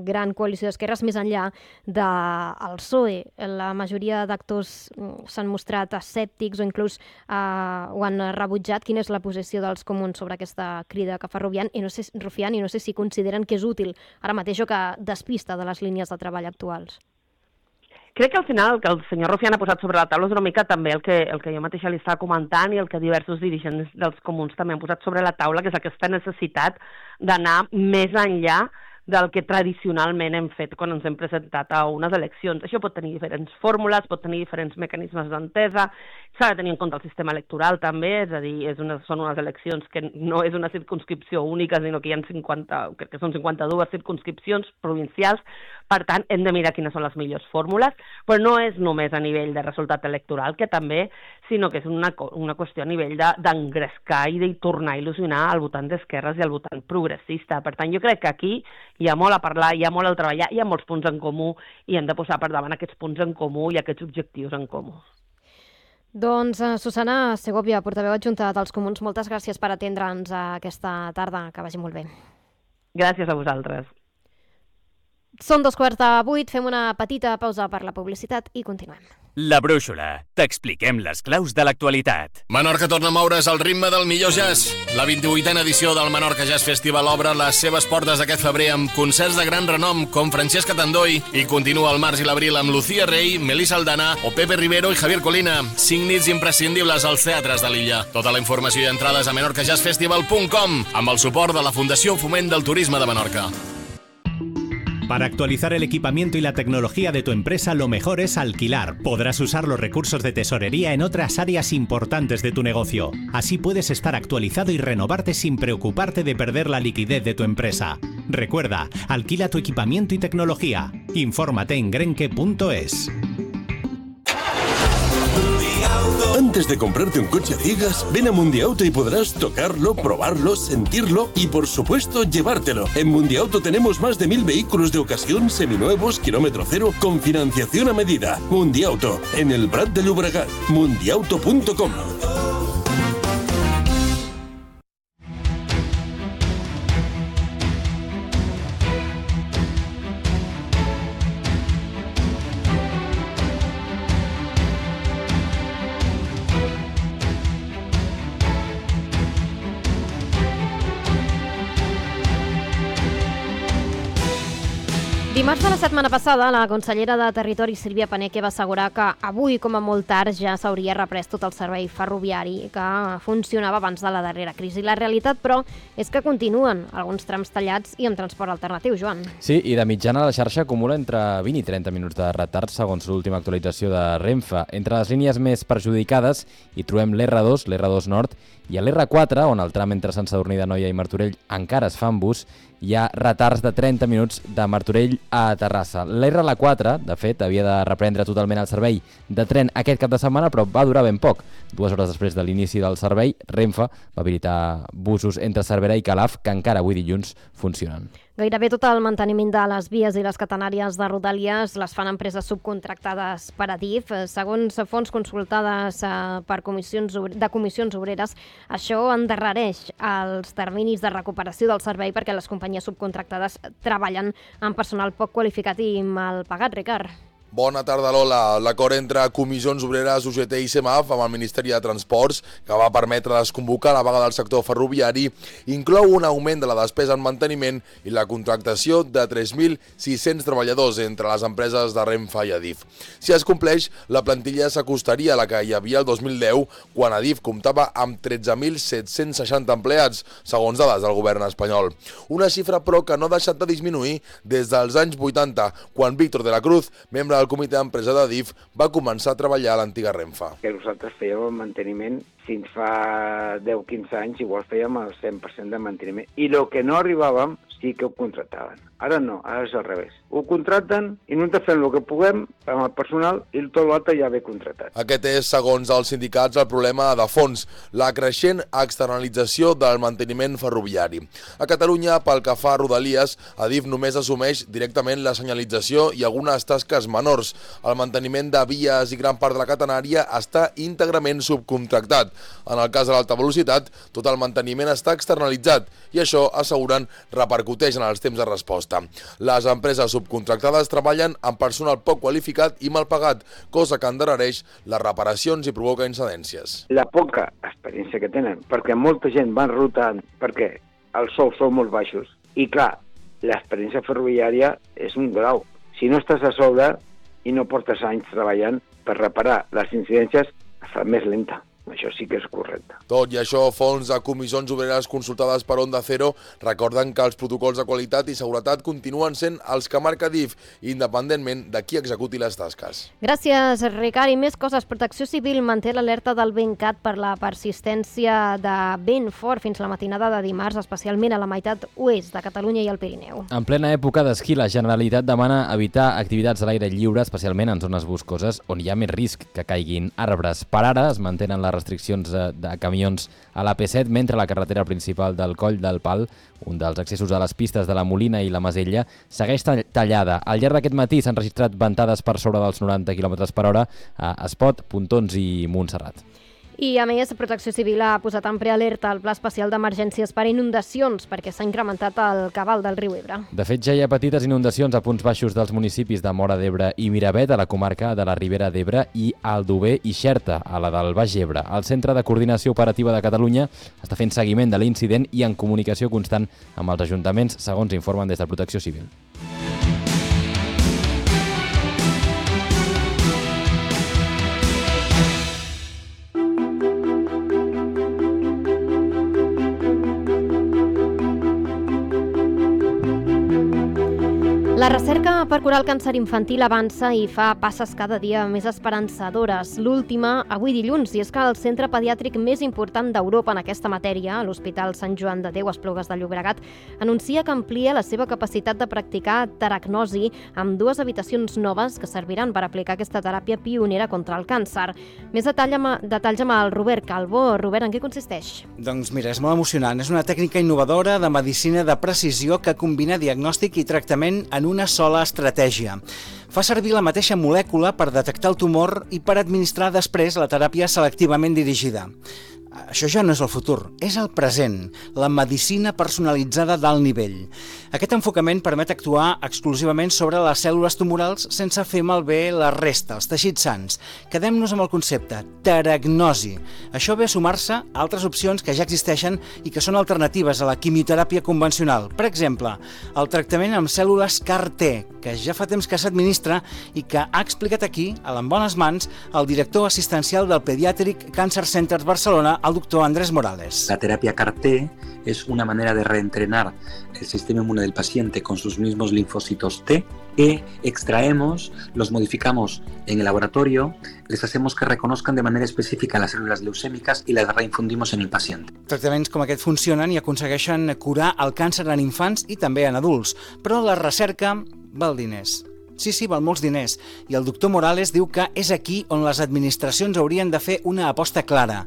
gran coalició d'esquerres més enllà del PSOE. La majoria d'actors s'han mostrat escèptics o inclús ho han rebutjat. Quina és la posició dels comuns sobre aquesta crida que fa Rufián? I no sé si consideren que és útil ara mateix o que despista de les línies de treball actuals. Crec que al final el que el senyor Rufián ha posat sobre la taula és una mica també el que jo mateixa li estava comentant i el que diversos dirigents dels comuns també han posat sobre la taula, que és aquesta necessitat d'anar més enllà del que tradicionalment hem fet quan ens hem presentat a unes eleccions. Això pot tenir diferents fórmules, pot tenir diferents mecanismes d'entesa, s'ha de tenir en compte el sistema electoral també, és a dir, són unes eleccions que no és una circumscripció única, sinó que hi ha crec que són 52 circumscripcions provincials, per tant, hem de mirar quines són les millors fórmules, però no és només a nivell de resultat electoral, que també, sinó que és una qüestió a nivell d'engrescar i de tornar a il·lusionar al votant d'esquerres i al votant progressista. Per tant, jo crec que aquí hi ha molt a parlar, hi ha molt a treballar, hi ha molts punts en comú i hem de posar per davant aquests punts en comú i aquests objectius en comú. Doncs Susana Segovia, portaveu adjunta dels comuns, moltes gràcies per atendre'ns aquesta tarda. Que vagi molt bé. Gràcies a vosaltres. Són 7:15, fem una petita pausa per la publicitat i continuem. La Brúixola. T'expliquem les claus de l'actualitat. Menorca torna a moure's al ritme del millor jazz. La 28a edició del Menorca Jazz Festival obre les seves portes aquest febrer amb concerts de gran renom com Francesca Tandoi i continua el març i l'abril amb Lucía Rey, Melissa Aldana o Pepe Rivero i Javier Colina. 5 nits imprescindibles als teatres de l'illa. Tota la informació i entrades a menorcajazzfestival.com amb el suport de la Fundació Foment del Turisme de Menorca. Para actualizar el equipamiento y la tecnología de tu empresa, lo mejor es alquilar. Podrás usar los recursos de tesorería en otras áreas importantes de tu negocio. Así puedes estar actualizado y renovarte sin preocuparte de perder la liquidez de tu empresa. Recuerda, alquila tu equipamiento y tecnología. Infórmate en grenke.es. Antes de comprarte un coche a ciegas, ven a Mundiauto y podrás tocarlo, probarlo, sentirlo y, por supuesto, llevártelo. En Mundiauto tenemos más de 1000 vehículos de ocasión, seminuevos, kilómetro cero, con financiación a medida. Mundiauto, en el Prat de Llobregat. Mundiauto.com. Dimarts de la setmana passada, la consellera de Territori, Sílvia Paneque, va assegurar que avui, com a molt tard, ja s'hauria reprès tot el servei ferroviari que funcionava abans de la darrera crisi. La realitat, però, és que continuen alguns trams tallats i amb transport alternatiu, Joan. Sí, i de mitjana la xarxa acumula entre 20 i 30 minuts de retard, segons l'última actualització de Renfe. Entre les línies més perjudicades hi trobem l'R2, l'R2 Nord, i a l'R4, on el tram entre Sant Sadurní d'Anoia i Martorell encara es fa en bus, hi ha retards de 30 minuts de Martorell a Terrassa. l'R4, de fet, havia de reprendre totalment el servei de tren aquest cap de setmana, però va durar ben poc. 2 hores després de l'inici del servei, Renfe va habilitar busos entre Cervera i Calaf, que encara avui dilluns funcionen. Gairebé tot el manteniment de les vies i les catenàries de Rodalies les fan empreses subcontractades per Adif. Segons fonts consultades per comissions obreres, això endarrereix els terminis de recuperació del servei perquè les companyies subcontractades treballen amb personal poc qualificat i mal pagat, Ricard. Bona tarda, Lola. L'acord entre Comissions Obreres, UGT i CEMAF amb el Ministeri de Transports, que va permetre desconvocar la vaga del sector ferroviari, inclou un augment de la despesa en manteniment i la contractació de 3.600 treballadors entre les empreses de Renfe i Adif. Si es compleix, la plantilla s'acostaria a la que hi havia el 2010, quan Adif comptava amb 13.760 empleats, segons dades del govern espanyol. Una xifra, però, que no ha deixat de disminuir des dels anys 80, quan Víctor de la Cruz, membre del comitè d'empresa d'Adif, va començar a treballar a l'antiga Renfe. Que nosaltres fèiem el manteniment fins fa 10-15 anys igual fèiem el 100% de manteniment. I el que no arribàvem sí que ho contractaven. Ara no, ara és al revés. Ho contracten i nosaltres fem el que puguem amb el personal i tot l'altre ja ve contractat. Aquest és, segons els sindicats, el problema de fons, la creixent externalització del manteniment ferroviari. A Catalunya, pel que fa a Rodalies, Adif només assumeix directament la senyalització i algunes tasques menors. El manteniment de vies i gran part de la catenària està íntegrament subcontractat. En el cas de l'alta velocitat, tot el manteniment està externalitzat i això, asseguren, repercuteix en els temps de resposta. Les empreses subcontractades treballen amb personal poc qualificat i mal pagat, cosa que endarrereix les reparacions i provoca incidències. La poca experiència que tenen, perquè molta gent van rotant, perquè els sous són molt baixos. I clar, l'experiència ferroviària és un grau. Si no estàs a sobre i no portes anys treballant per reparar les incidències, es fa més lenta. Això sí que és correcte. Tot i això, fonts de comissions obreres consultades per Onda Cero recorden que els protocols de qualitat i seguretat continuen sent els que marca DIF, independentment de qui executi les tasques. Gràcies, Ricard. I més coses. Protecció Civil manté l'alerta del VentCat per la persistència de vent fort fins la matinada de dimarts, especialment a la meitat oest de Catalunya i el Pirineu. En plena època d'esquí, la Generalitat demana evitar activitats a l'aire lliure, especialment en zones boscoses, on hi ha més risc que caiguin arbres. Per ara es mantenen les restriccions de camions a la P7, mentre la carretera principal del Coll del Pal, un dels accessos a les pistes de la Molina i la Masella, segueix tallada. Al llarg d'aquest matí s'han registrat ventades per sobre dels 90 km/h a Espot, Pontons i Montserrat. I, a més, Protecció Civil ha posat en prealerta el Pla Especial d'Emergències per inundacions perquè s'ha incrementat el cabal del riu Ebre. De fet, ja hi ha petites inundacions a punts baixos dels municipis de Móra d'Ebre i Miravet, a la comarca de la Ribera d'Ebre, i Aldover i Xerta, a la del Baix Ebre. El Centre de Coordinació Operativa de Catalunya està fent seguiment de l'incident i en comunicació constant amb els ajuntaments, segons informen des de Protecció Civil. La recerca per curar el càncer infantil avança i fa passes cada dia més esperançadores. L'última, avui dilluns, i és que el centre pediàtric més important d'Europa en aquesta matèria, l'Hospital Sant Joan de Déu a Esplugues de Llobregat, anuncia que amplia la seva capacitat de practicar teragnosi amb 2 habitacions noves que serviran per aplicar aquesta teràpia pionera contra el càncer. Més detalls amb el Robert Calvo. Robert, en què consisteix? Doncs mira, és molt emocionant. És una tècnica innovadora de medicina de precisió que combina diagnòstic i tractament en una sola estratègia. Fa servir la mateixa molècula per detectar el tumor i per administrar després la teràpia selectivament dirigida. Això ja no és el futur, és el present, la medicina personalitzada d'alt nivell. Aquest enfocament permet actuar exclusivament sobre les cèl·lules tumorals sense fer malbé la resta, els teixits sans. Quedem-nos amb el concepte, teragnosi. Això ve a sumar-se a altres opcions que ja existeixen i que són alternatives a la quimioteràpia convencional. Per exemple, el tractament amb cèl·lules CAR-T, que ja fa temps que s'administra i que ha explicat aquí, en bones mans, el director assistencial del Pediatric Cancer Center Barcelona, el doctor Andrés Morales. La terapia CAR-T es una manera de reentrenar el sistema inmune del paciente con sus mismos linfocitos T que extraemos, los modificamos en el laboratorio, les hacemos que reconozcan de manera específica las células leucémicas y las reinfundimos en el paciente. Tractaments com aquest funcionen i aconsegueixen curar el càncer en infants i també en adults, però la recerca val diners. Sí, val molts diners. I el doctor Morales diu que és aquí on les administracions haurien de fer una aposta clara.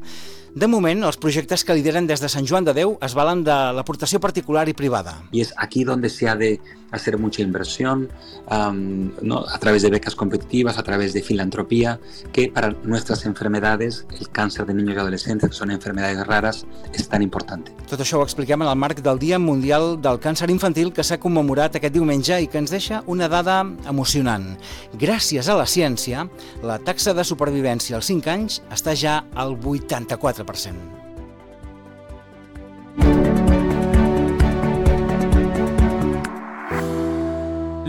De moment, els projectes que lideren des de Sant Joan de Déu es valen de l'aportació particular i privada. Y es aquí donde se ha de hacer mucha inversión, ¿no? A través de becas competitivas, a través de filantropía, que para nuestras enfermedades, el cáncer de niños y adolescentes, que son enfermedades raras, es tan importante. Tot això ho expliquem en el marc del Dia Mundial del Càncer Infantil que s'ha commemorat aquest diumenge i que ens deixa una dada emocionant. Gràcies a la ciència, la taxa de supervivència als 5 anys està ja al 84%.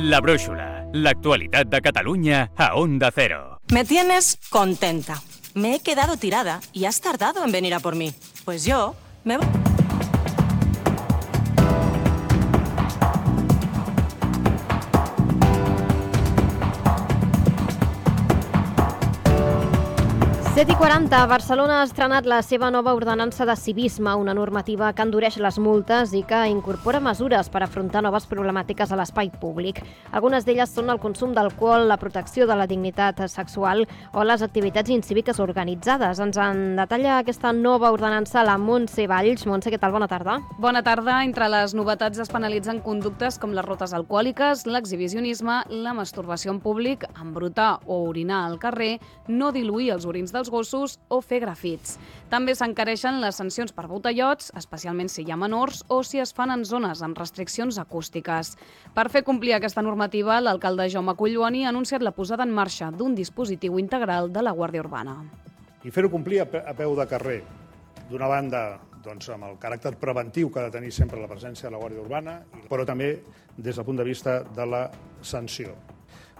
La Brúixola, l'actualitat de Catalunya a Onda Cero. Me tienes contenta. Me he quedado tirada y has tardado en venir a por mí. Pues yo me... 7:40, Barcelona ha estrenat la seva nova ordenança de civisme, una normativa que endureix les multes i que incorpora mesures per afrontar noves problemàtiques a l'espai públic. Algunes d'elles són el consum d'alcohol, la protecció de la dignitat sexual o les activitats incíviques organitzades. Ens en detalla aquesta nova ordenança la Montse Valls. Montse, què tal? Bona tarda. Bona tarda. Entre les novetats es penalitzen conductes com les rutes alcohòliques, l'exhibicionisme, la masturbació en públic, embrutar o orinar al carrer, no diluir els orins dels gossos o fer grafits. També s'encareixen les sancions per botellots, especialment si hi ha menors o si es fan en zones amb restriccions acústiques. Per fer complir aquesta normativa, l'alcalde Jaume Collboni ha anunciat la posada en marxa d'un dispositiu integral de la Guàrdia Urbana. I fer-ho complir a peu de carrer. D'una banda, doncs, amb el caràcter preventiu que ha de tenir sempre la presència de la Guàrdia Urbana, però també des del punt de vista de la sanció.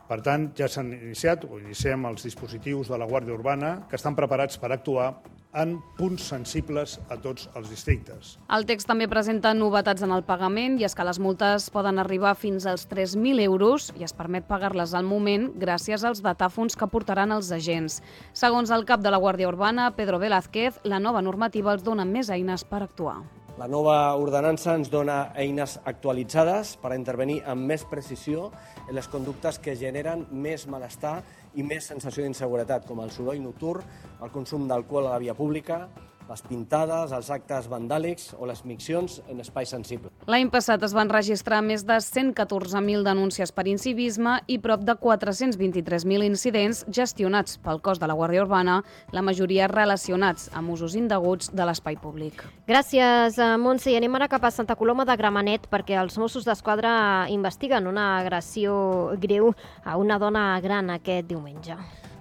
Per tant, ja s'han iniciat, o iniciem els dispositius de la Guàrdia Urbana que estan preparats per actuar en punts sensibles a tots els districtes. El text també presenta novetats en el pagament i és que les multes poden arribar fins als 3.000 euros i es permet pagar-les al moment gràcies als datàfons que portaran els agents. Segons el cap de la Guàrdia Urbana, Pedro Velázquez, la nova normativa els dona més eines per actuar. La nova ordenança ens dona eines actualitzades per intervenir amb més precisió en les conductes que generen més malestar i més sensació d'inseguretat, com el soroll nocturn, el consum d'alcohol a la via pública, les pintades, els actes vandàlics o les miccions en espais sensibles. L'any passat es van registrar més de 114.000 denúncies per incivisme i prop de 423.000 incidents gestionats pel cos de la Guàrdia Urbana, la majoria relacionats amb usos indeguts de l'espai públic. Gràcies, Montse. I anem ara cap a Santa Coloma de Gramenet perquè els Mossos d'Esquadra investiguen una agressió greu a una dona gran aquest diumenge.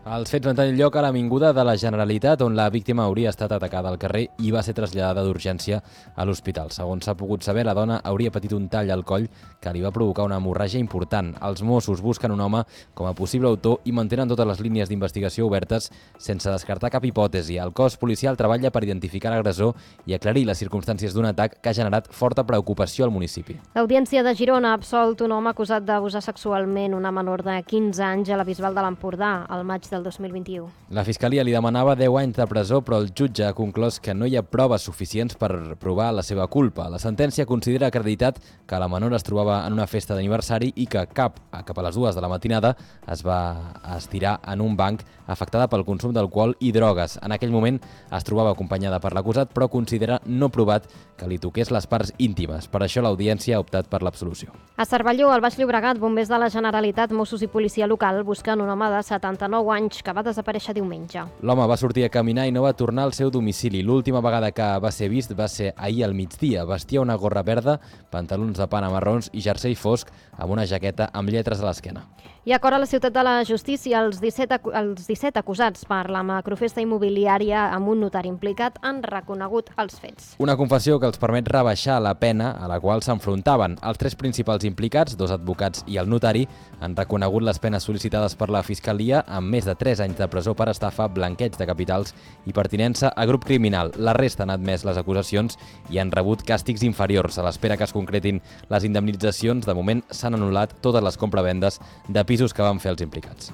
Els fets van tenir lloc a l'Avinguda de la Generalitat, on la víctima hauria estat atacada al carrer i va ser traslladada d'urgència a l'hospital. Segons s'ha pogut saber, la dona hauria patit un tall al coll que li va provocar una hemorràgia important. Els Mossos busquen un home com a possible autor i mantenen totes les línies d'investigació obertes sense descartar cap hipòtesi. El cos policial treballa per identificar l'agressor i aclarir les circumstàncies d'un atac que ha generat forta preocupació al municipi. L'Audiència de Girona ha absolt un home acusat d'abusar sexualment una menor de 15 anys a la Bisbal de l'Empordà al maig del 2021. La Fiscalia li demanava 10 anys de presó, però el jutge ha conclòs que no hi ha proves suficients per provar la seva culpa. La sentència considera acreditat que la menor es trobava en una festa d'aniversari i que cap a les 2 de la matinada es va estirar en un banc afectada pel consum d'alcohol i drogues. En aquell moment es trobava acompanyada per l'acusat, però considera no provat que li toqués les parts íntimes. Per això l'Audiència ha optat per l'absolució. A Cervelló, al Baix Llobregat, bombers de la Generalitat, Mossos i policia local busquen un home de 79 anys que va desaparèixer diumenge. L'home va sortir a caminar i no va tornar al seu domicili. L'última vegada que va ser vist va ser ahir al migdia. Vestia una gorra verda, pantalons de pana marrons i jersei fosc amb una jaqueta amb lletres a l'esquena. I acord a la Ciutat de la Justícia, els 17 acusats per la macrofesta immobiliària amb un notari implicat han reconegut els fets. Una confessió que els permet rebaixar la pena a la qual s'enfrontaven. Els 3 principals implicats, 2 advocats i el notari, han reconegut les penes sol·licitades per la Fiscalia amb més de 3 anys de presó per estafa, blanqueig de capitals i pertinença a grup criminal. La resta han admès les acusacions i han rebut càstigs inferiors. A l'espera que es concretin les indemnitzacions, de moment s'han anul·lat totes les compravendes de pisos que van fer els implicats.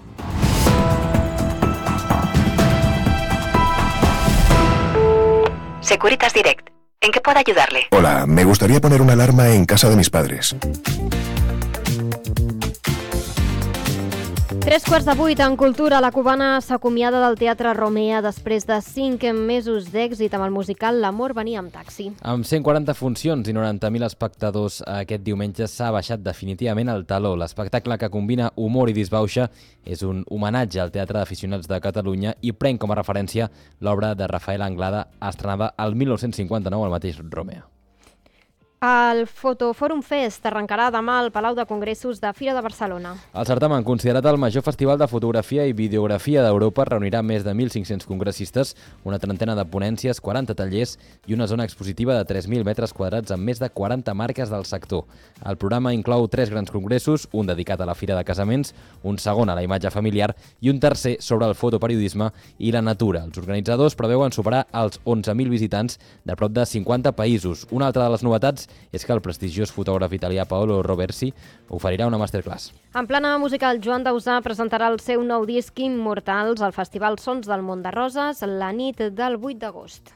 Securitas Direct. ¿En qué puedo ayudarle? Hola, me gustaría poner una alarma en casa de mis padres. 7:45 en Cultura. La cubana s'acomiada del Teatre Romea després de 5 mesos d'èxit amb el musical L'amor venia amb taxi. Amb 140 funcions i 90.000 espectadors aquest diumenge s'ha baixat definitivament el taló. L'espectacle, que combina humor i disbauxa, és un homenatge al Teatre d'Aficionats de Catalunya i pren com a referència l'obra de Rafael Anglada, estrenada el 1959 al mateix Romea. El Fotofòrum Fest arrencarà demà al Palau de Congressos de Fira de Barcelona. El certamen, considerat el major festival de fotografia i videografia d'Europa, reunirà més de 1.500 congressistes, una trentena de ponències, 40 tallers i una zona expositiva de 3.000 metres quadrats amb més de 40 marques del sector. El programa inclou 3 grans congressos, un dedicat a la Fira de Casaments, un segon a la imatge familiar i un tercer sobre el fotoperiodisme i la natura. Els organitzadors preveuen superar els 11.000 visitants de prop de 50 països. Una altra de les novetats és que el prestigiós fotògraf italià Paolo Roversi oferirà una masterclass. En plana musical, Joan Dausà presentarà el seu nou disc Immortals al Festival Sons del Mont de Roses la nit del 8 d'agost.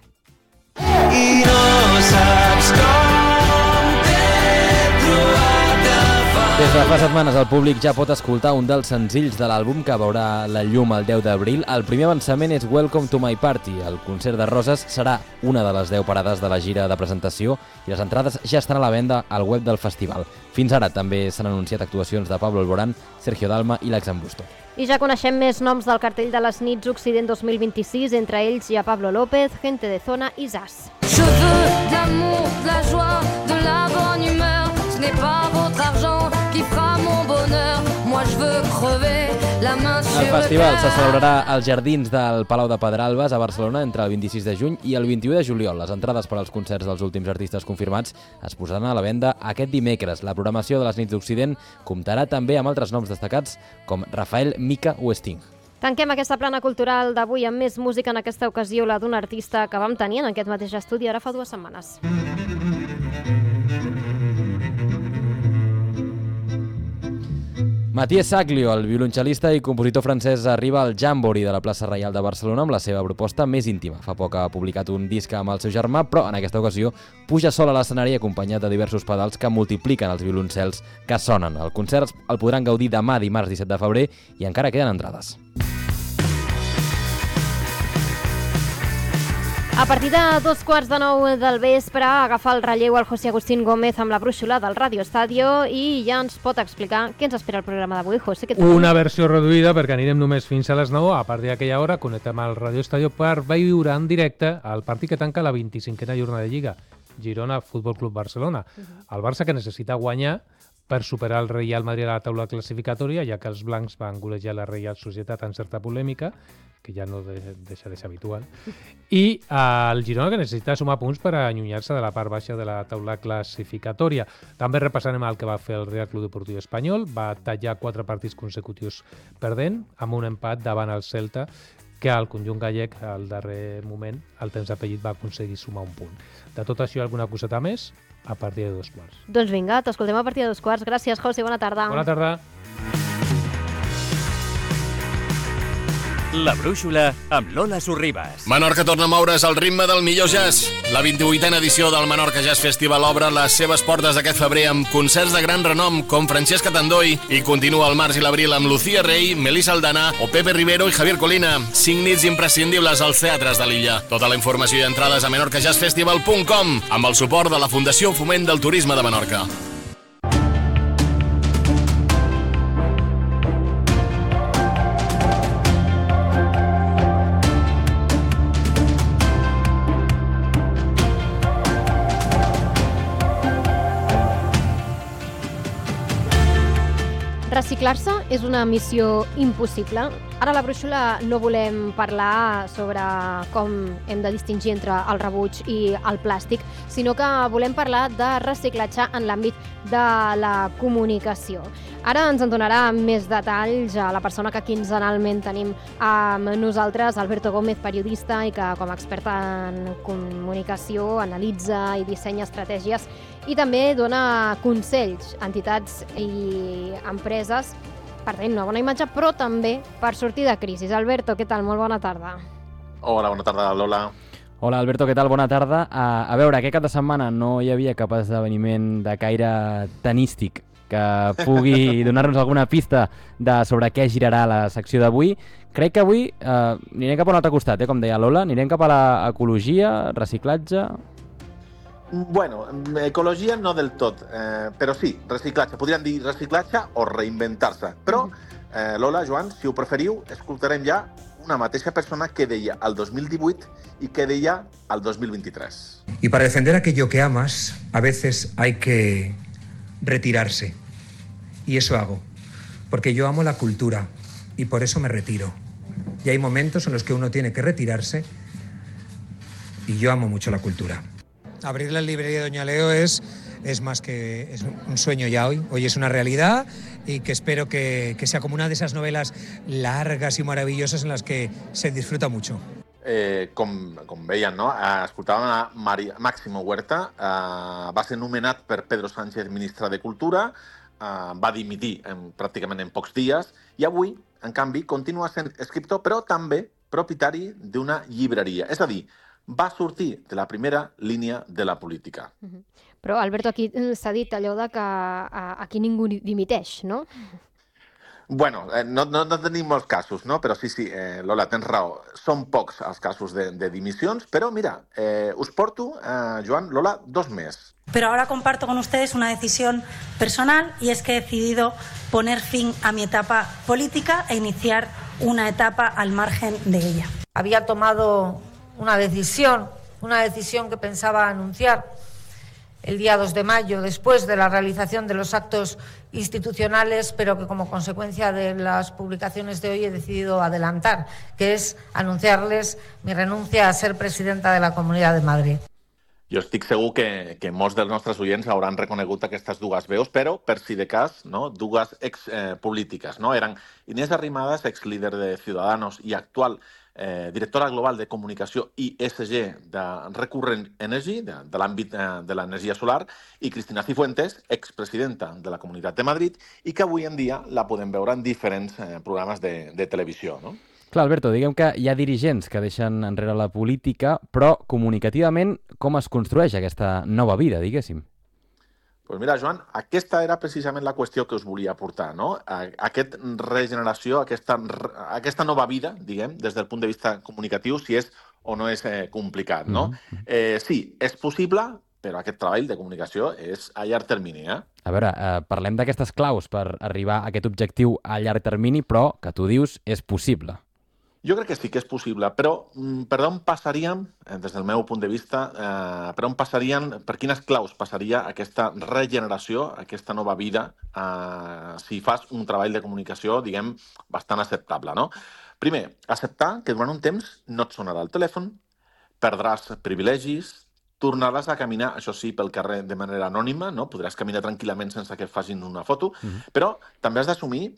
I no saps com t'he trobat Des de fa setmanes el públic ja pot escoltar un dels senzills de l'àlbum que veurà la llum el 10 d'abril. El primer avançament és Welcome to my Party. El concert de Roses serà una de les 10 parades de la gira de presentació i les entrades ja estan a la venda al web del festival. Fins ara també s'han anunciat actuacions de Pablo Alborán, Sergio Dalma i l'Axan Busto. I ja coneixem més noms del cartell de les nits Occident 2026, entre ells hi ha Pablo López, Gente de Zona i Zas. Je veux de l'amour, de la joie, de la bonne humeur. Ce n'est pas votre argent qui fera mon bonheur. Moi je veux crever la main sur El festival se celebrarà als jardins del Palau de Pedralbes a Barcelona entre el 26 de juny i el 21 de juliol. Les entrades per als concerts dels últims artistes confirmats es posaran a la venda aquest dimecres. La programació de les nits d'Occident comptarà també amb altres noms destacats com Rafael, Mica o Sting. Tanquem aquesta plana cultural d'avui amb més música, en aquesta ocasió la d'un artista que vam tenir en aquest mateix estudi ara fa 2 setmanes. Matías Saglio, el violoncel·lista i compositor francès, arriba al Jamboree de la plaça Reial de Barcelona amb la seva proposta més íntima. Fa poc ha publicat un disc amb el seu germà, però en aquesta ocasió puja sol a l'escenari acompanyat de diversos pedals que multipliquen els violoncels que sonen. El concert el podran gaudir demà, dimarts 17 de febrer, i encara queden entrades. A partir de 8:45 del vespre, agafar el relleu al José Agustín Gómez amb la brúixola del Radio Estadio i ja ens pot explicar què ens espera el programa d'avui. José, què tal? Una versió reduïda perquè anirem només fins a les 9. A partir d'aquella hora connectem al Radio Estadio per viure en directe el partit que tanca la 25a jornada de Lliga, Girona Futbol Club Barcelona. El Barça que necessita guanyar per superar el Real Madrid a la taula classificatòria, ja que els blancs van golejar la Real Societat en certa polèmica, que ja no deixa de ser habitual, i el Girona que necessita sumar punts per allunyar-se de la part baixa de la taula classificatòria. També repassarem el que va fer el Real Club Deportiu Espanyol. Va tallar 4 partits consecutius perdent, amb un empat davant el Celta, que el conjunt gallec, al darrer moment, al temps d'apellit, va aconseguir sumar un punt. De tot això, alguna coseta més? A partir de 2:15. Doncs vinga, t'escoltem a partir de 2:15. Gràcies, José, bona tarda. Bona tarda. La brúixola amb Lola Sorribas. Menorca torna a moure's al ritme del millor jazz. La 28a edició del Menorca Jazz Festival obre les seves portes aquest febrer amb concerts de gran renom com Francesc Catandoi i continua el març i l'abril amb Lucía Rey, Melissa Aldana o Pepe Rivero i Javier Colina. 5 nits imprescindibles als teatres de l'illa. Tota la informació i entrades a menorcajazzfestival.com amb el suport de la Fundació Foment del Turisme de Menorca. Reciclar-se és una missió impossible. Ara a la brúixola no volem parlar sobre com hem de distingir entre el rebuig i el plàstic, sinó que volem parlar de reciclatge en l'àmbit de la comunicació. Ara ens en donarà més detalls a la persona que quinzenalment tenim amb nosaltres, Alberto Gómez, periodista i que com a expert en comunicació analitza i dissenya estratègies i també dona consells a entitats i empreses per tenir una bona imatge, però també per sortir de crisi. Alberto, què tal? Molt bona tarda. Hola, bona tarda, Lola. Hola, Alberto, què tal? Bona tarda. A veure, aquest cap de setmana no hi havia cap esdeveniment de caire tenístic que pugui donar-nos alguna pista sobre què girarà la secció d'avui. Crec que avui anirem cap a un altre costat, com deia Lola, anirem cap a l'ecologia, reciclatge... Bueno, ecologia no del tot, però sí, reciclatge. Podríem dir reciclatge o reinventar-se. Però, Lola, Joan, si ho preferiu, escoltarem ja una mateixa persona que deia el 2018 y que deia el 2023. Y para defender aquello que amas, a veces hay que retirarse. Y eso hago, porque yo amo la cultura y por eso me retiro. Y hay momentos en los que uno tiene que retirarse y yo amo mucho la cultura. Abrir la librería de Doña Leo es más que es un sueño ya hoy. Hoy es una realidad y que espero que sea como una de esas novelas largas y maravillosas en las que se disfruta mucho. com veien, no? Escoltàvem a Máximo Huerta, va ser nomenat per Pedro Sánchez ministre de Cultura, va dimitir pràcticament en pocs dies, i avui, en canvi, continua sent escriptor, però també propietari d'una llibreria. És a dir, va sortir de la primera línia de la política. Però, Alberto, aquí s'ha dit allò de que aquí ningú dimiteix, no? Bueno, no tenim molts casos, no? Però sí, Lola, tens raó. Són pocs els casos de dimissions, però mira, us porto, Joan, Lola, 2 més. Pero ahora comparto con ustedes una decisión personal y es que he decidido poner fin a mi etapa política e iniciar una etapa al margen de ella. Había tomado una decisión que pensaba anunciar el día 2 de mayo, después de la realización de los actos institucionales, pero que como consecuencia de las publicaciones de hoy he decidido adelantar, que es anunciarles mi renuncia a ser presidenta de la Comunidad de Madrid. Jo estic segur que molts dels nostres oients hauran reconegut aquestes dues veus, però, per si de cas, no, dues expolítiques. No? Eren Inés Arrimadas, exlíder de Ciudadanos i actual directora global de comunicació i ESG de Recurrent Energy, de l'àmbit de l'energia solar, i Cristina Cifuentes, expresidenta de la Comunitat de Madrid, i que avui en dia la podem veure en diferents programes de televisió. No? Clar, Alberto, diguem que hi ha dirigents que deixen enrere la política, però comunicativament com es construeix aquesta nova vida, diguéssim? Doncs mira, Joan, aquesta era precisament la qüestió que us volia aportar, no? Aquesta regeneració, aquesta nova vida, diguem, des del punt de vista comunicatiu, si és o no és complicat, no? Sí, és possible, però aquest treball de comunicació és a llarg termini, A veure, parlem d'aquestes claus per arribar a aquest objectiu a llarg termini, però que tu dius és possible. Jo crec que sí que és possible, però per on passaríem, des del meu punt de vista, per quines claus passaria aquesta regeneració, aquesta nova vida, si fas un treball de comunicació, diguem, bastant acceptable, no? Primer, acceptar que durant un temps no et sonarà el telèfon, perdràs privilegis, tornaràs a caminar, això sí, pel carrer de manera anònima, no? Podràs caminar tranquil·lament sense que et facin una foto, però també has d'assumir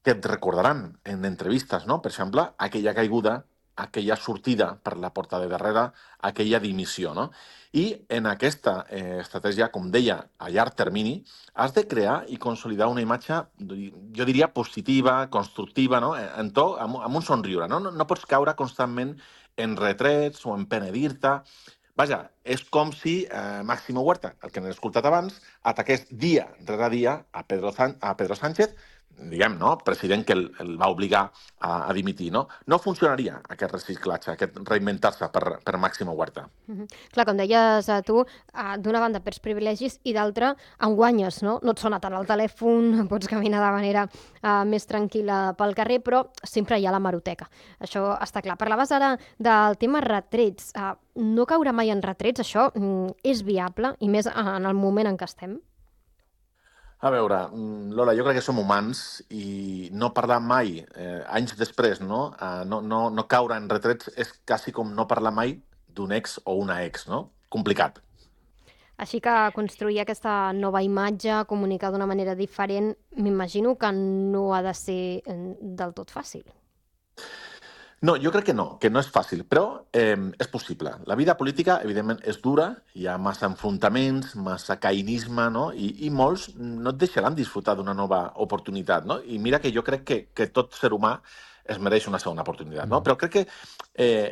que et recordaran en entrevistes, no? Per exemple, aquella caiguda, aquella sortida per la porta de darrere, aquella dimissió, no? I en aquesta estratègia, com deia, a llarg termini, has de crear i consolidar una imatge, jo diria, positiva, constructiva, no? Amb un somriure, no? No pots caure constantment en retrets o en penedir-te. Vaja, és com si Máximo Huerta, el que n'he escoltat abans, ataqués dia rere dia a Pedro Sánchez, diguem, no? President que el va obligar a dimitir, no? No funcionaria aquest reciclatge, aquest reinventar-se per Máximo Huerta. Clar, com deies tu, d'una banda perds privilegis i d'altra en guanyes, no? No et sona tant el telèfon, pots caminar de manera més tranquil·la pel carrer, però sempre hi ha la hemeroteca. Això està clar. Parlaves ara del tema retrets. No caure mai en retrets, això és viable, i més en el moment en què estem? A veure, Lola, jo crec que som humans i no parlar mai, anys després, no caure en retrets és quasi com no parlar mai d'un ex o una ex, no? Complicat. Així que construir aquesta nova imatge, comunicar d'una manera diferent, m'imagino que no ha de ser del tot fàcil. No, jo crec que no és fàcil, però és possible. La vida política, evidentment, és dura, hi ha massa enfrontaments, massa caïnisme, no? I molts no et deixaran disfrutar d'una nova oportunitat, no? I mira que jo crec que tot ser humà es mereix una segona oportunitat, no? Però crec que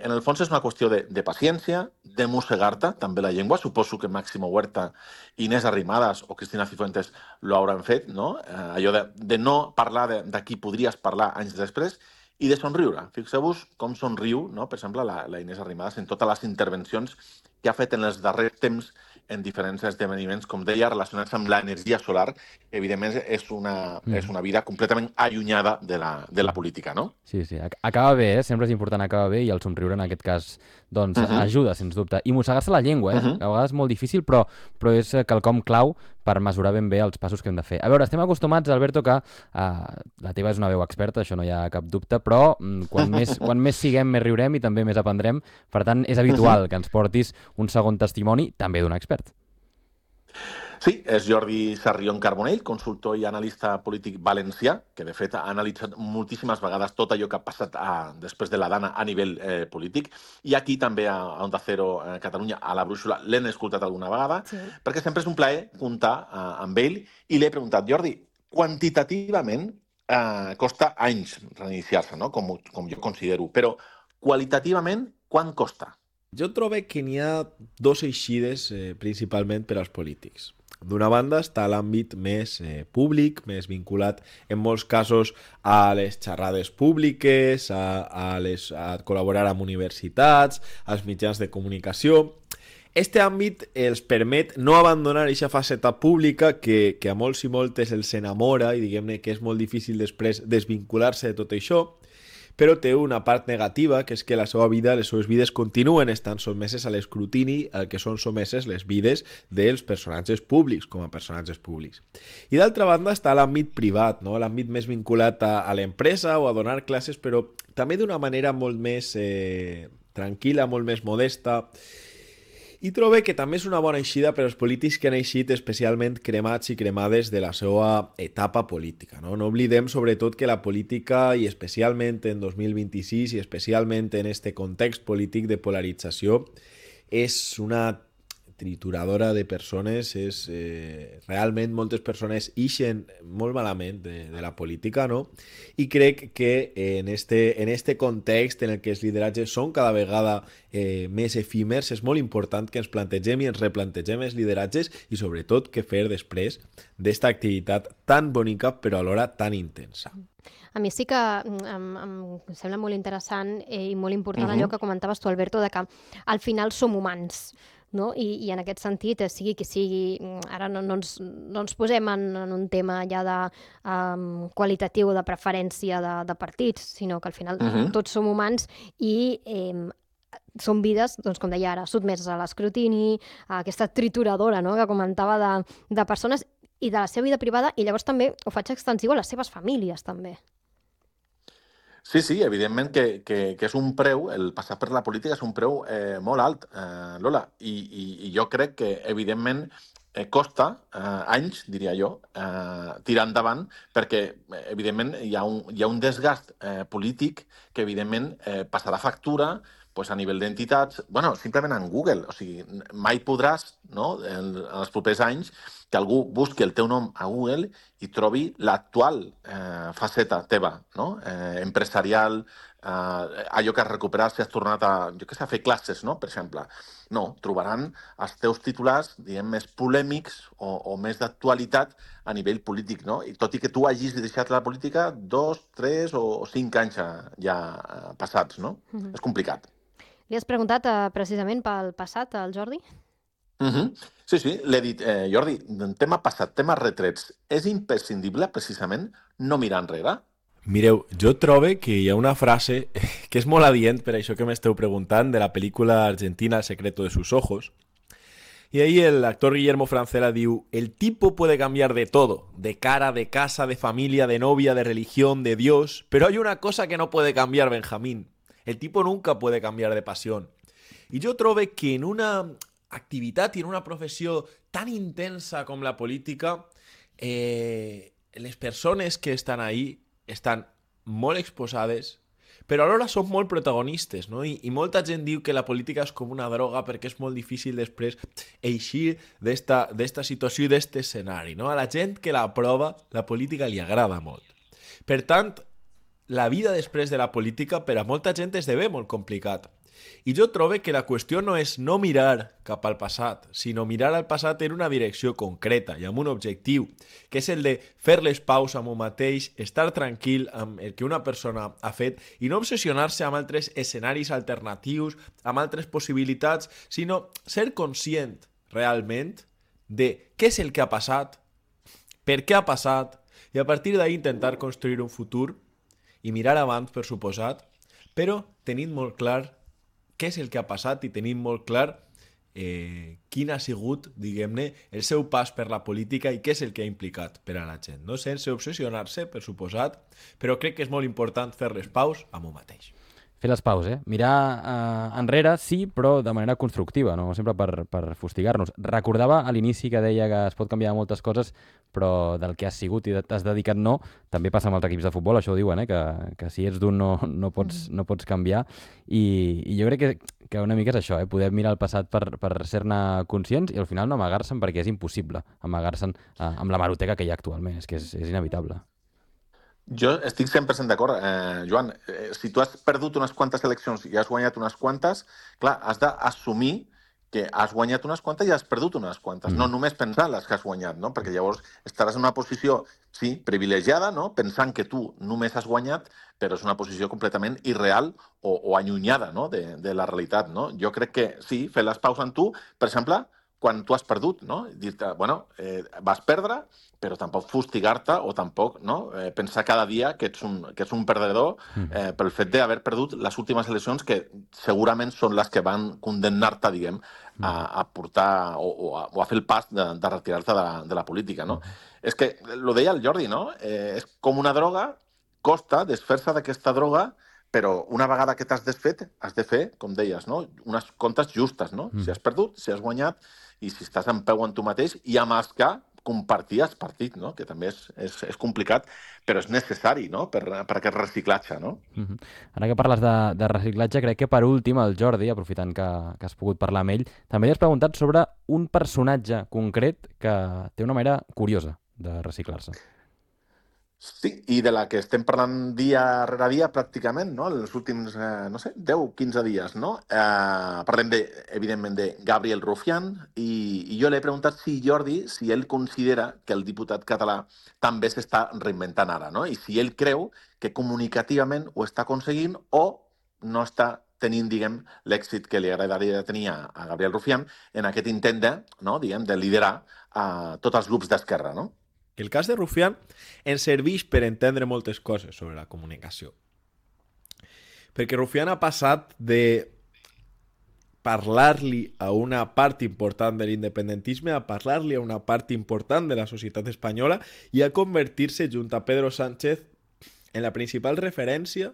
en el fons és una qüestió de paciència, de mossegar-te també la llengua. Suposo que Máximo Huerta, Inés Arrimadas o Cristina Cifuentes lo hauran fet, no? Allò de no parlar de qui podries parlar anys després, i de somriure. Fixeu-vos com somriu, no? Per exemple, la Inés Arrimadas en totes les intervencions que ha fet en els darrers temps en diferents esdeveniments, com deia, relacionats amb l'energia solar. Evidentment, és una vida completament allunyada de la política, no? Sí, acaba bé, sempre és important acabar bé, i el somriure en aquest cas doncs ajuda, sens dubte. I mossegar-se la llengua, a vegades és molt difícil, però és quelcom clau per mesurar ben bé els passos que hem de fer. A veure, estem acostumats, Alberto, que la teva és una veu experta, això no hi ha cap dubte, però quan més siguem, més riurem i també més aprendrem. Per tant, és habitual que ens portis un segon testimoni, també d'un expert. Sí, és Jordi Sarrión Carbonell, consultor i analista polític valencià, que de fet ha analitzat moltíssimes vegades tot allò que ha passat després de la Dana a nivell polític. I aquí també a Onda Cero Catalunya, a la Brúixola, l'hem escoltat alguna vegada, perquè sempre és un plaer comptar amb ell. I l'he preguntat, Jordi, quantitativament costa anys reiniciar-se, no? Com jo considero, però qualitativament quant costa? Jo trobo que n'hi ha dos eixides principalment per als polítics. D'una banda està l'àmbit més públic, més vinculat en molts casos a les xerrades públiques, a col·laborar amb universitats, als mitjans de comunicació. Este àmbit els permet no abandonar aquesta faceta pública que a molts i moltes els enamora i diguem-ne que és molt difícil després desvincular-se de tot això, però té una part negativa, que és que la seva vida, les seves vides continuen estant sotmeses a l'escrutini al que són sotmeses les vides dels personatges públics, com a personatges públics. I d'altra banda està l'àmbit privat, no? L'àmbit més vinculat a l'empresa o a donar classes, però també d'una manera molt més tranquil·la, molt més modesta. I trobo que també és una bona eixida per als polítics que han eixit especialment cremats i cremades de la seva etapa política. No oblidem sobretot que la política, i especialment en 2026 i especialment en este context polític de polarització, és una trituradora de persones, realment moltes persones ixen molt malament de la política, no? I crec que en este context en el que els lideratges són cada vegada més efímers, és molt important que ens plantegem i ens replantegem els lideratges i sobretot què fer després d'esta activitat tan bonica però alhora tan intensa. A mi sí que em sembla molt interessant i molt important allò que comentaves tu, Alberto, de que al final som humans. No? I en aquest sentit, sigui qui sigui, ara no ens posem en un tema ja de qualitatiu de preferència de partits, sinó que al final tots som humans i són vides, doncs, com deia ara, sotmeses a l'escrutini, a aquesta trituradora, no? Que comentava de persones i de la seva vida privada, i llavors també ho faig extensiu a les seves famílies, també. Sí, evidentment que és un preu, el passar per la política és un preu molt alt, Lola, i jo crec que, evidentment, costa anys, diria jo, tirar endavant, perquè, evidentment, hi ha un desgast polític que, evidentment, passarà factura a nivell d'entitats, simplement en Google. O sigui, mai podràs, en els propers anys, que algú busqui el teu nom a Google i trobi l'actual faceta teva, empresarial, allò que has recuperat si has tornat a fer classes, per exemple. No, trobaran els teus titulars, diguem, més polèmics o més d'actualitat a nivell polític, no? I tot i que tu hagis deixat la política 2, 3 o 5 anys ja passats, no? És complicat. Li has preguntat precisament pel passat al Jordi? Sí, l'he dit, Jordi, tema passat, tema retrets, és imprescindible precisament no mirar enrere? Mireu, jo trobo que hi ha una frase que és molt adient per això que m'esteu preguntant, de la pel·lícula argentina El secreto de sus ojos. Y ahí el actor Guillermo Francella diu: el tipo puede cambiar de todo, de cara, de casa, de familia, de novia, de religión, de Dios, pero hay una cosa que no puede cambiar, Benjamín. El tipo nunca puede cambiar de pasión. I jo trobo que en una activitat i en una professió tan intensa com la política, les persones que estan ahí estan molt exposades, però alhora són molt protagonistes, no? I molta gent diu que la política és com una droga perquè és molt difícil després eixir d'esta situació i d'este escenari, no? A la gent que la prova, la política li agrada molt. Per tant, la vida després de la política per a molta gent esdevé molt complicat. I jo trobo que la qüestió no és no mirar cap al passat, sinó mirar al passat en una direcció concreta i amb un objectiu, que és el de fer les paus amb un mateix, estar tranquil amb el que una persona ha fet i no obsessionar-se amb altres escenaris alternatius, amb altres possibilitats, sinó ser conscient realment de què és el que ha passat, per què ha passat, i a partir d'ahí intentar construir un futur i mirar abans, per suposat, però tenint molt clar què és el que ha passat i tenint molt clar quin ha sigut, diguem-ne, el seu pas per la política i què és el que ha implicat per a la gent, no? Sense obsessionar-se, per suposat, però crec que és molt important fer les paus amb un mateix. fer les paus, mirar enrere, sí, però de manera constructiva, no sempre per fustigar-nos. Recordava a l'inici que deia que es pot canviar moltes coses, però del que has sigut i t'has dedicat no, també passa amb els equips de futbol, això ho diuen, que si ets d'un no pots canviar. I jo crec que una mica és això, poder mirar el passat per ser-ne conscients i al final no amagar-se'n, perquè és impossible amagar-se'n amb la maroteca que hi ha actualment, és que és inevitable. Jo estic 100% d'acord, Joan. Si tu has perdut unes quantes eleccions i has guanyat unes quantes, clar, has d'assumir que has guanyat unes quantes i has perdut unes quantes. No només pensar en les que has guanyat, no? Perquè llavors estaràs en una posició, sí, privilegiada, no? Pensant que tu només has guanyat, però és una posició completament irreal o allunyada, no? de la realitat, no? Jo crec que sí, fer les paus en tu, per exemple, quan tu has perdut, no? Dir-te, bueno, vas perdre, però tampoc fustigar-te o tampoc pensar cada dia que ets un perdedor pel fet d'haver perdut les últimes eleccions que segurament són les que van condemnar-te, diguem, a portar o a fer el pas de retirar-te de la política, no? És que, ho deia el Jordi, no? És com una droga, costa desfer-se d'aquesta droga, però una vegada que t'has desfet, has de fer, com deies, no? Unes comptes justes, no? Si has perdut, si has guanyat, i si estàs en peu en tu mateix, i amb els que compartir el partit, no? Que també és complicat, però és necessari, no? Per aquest reciclatge, no? Ara que parles de reciclatge, crec que per últim el Jordi, aprofitant que has pogut parlar amb ell, també li has preguntat sobre un personatge concret que té una manera curiosa de reciclar-se. Sí, i de la que estem parlant dia rere dia pràcticament, no? Els últims, 10-15 dies, no? Parlem, evidentment, de Gabriel Rufián, i jo l'he preguntat si ell considera que el diputat català també s'està reinventant ara, no? I si ell creu que comunicativament ho està aconseguint o no està tenint, diguem, l'èxit que li agradaria tenir a Gabriel Rufián en aquest intent de liderar tots els grups d'esquerra, no? El cas de Rufián ens serveix per entendre moltes coses sobre la comunicació. Perquè Rufián ha passat de parlar-li a una part important de l'independentisme a parlar-li a una part important de la societat espanyola i a convertir-se, junt a Pedro Sánchez, en la principal referència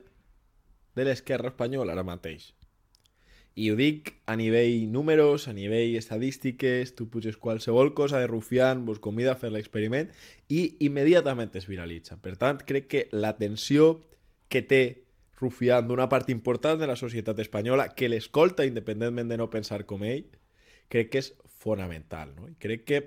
de l'esquerra espanyola ara mateix. I ho dic a nivell números, a nivell estadístiques, tu puges qualsevol cosa de Rufián, vos convida a fer l'experiment i immediatament es viralitza. Per tant, crec que l'atenció que té Rufián d'una part important de la societat espanyola, que l'escolta independentment de no pensar com ell, crec que és fonamental, no? I crec que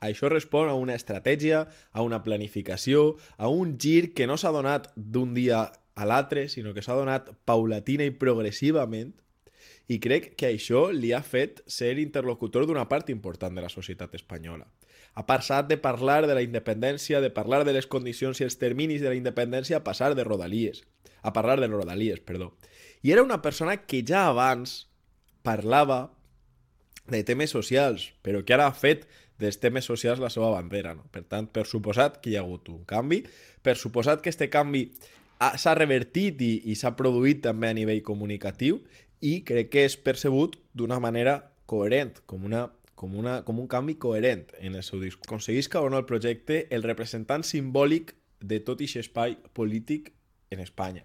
això respon a una estratègia, a una planificació, a un gir que no s'ha donat d'un dia a l'altre, sinó que s'ha donat paulatina i progressivament. I crec que això li ha fet ser interlocutor d'una part important de la societat espanyola. Ha passat de parlar de la independència, de parlar de les condicions i els terminis de la independència, a parlar de Rodalies. I era una persona que ja abans parlava de temes socials, però que ara ha fet dels temes socials la seva bandera, no? Per tant, per suposat que hi ha hagut un canvi, per suposat que aquest canvi s'ha revertit i s'ha produït també a nivell comunicatiu, i crec que és percebut d'una manera coherent, com un canvi coherent en el seu discurs. Aconseguisca o no el projecte el representant simbòlic de tot aquest espai polític en Espanya.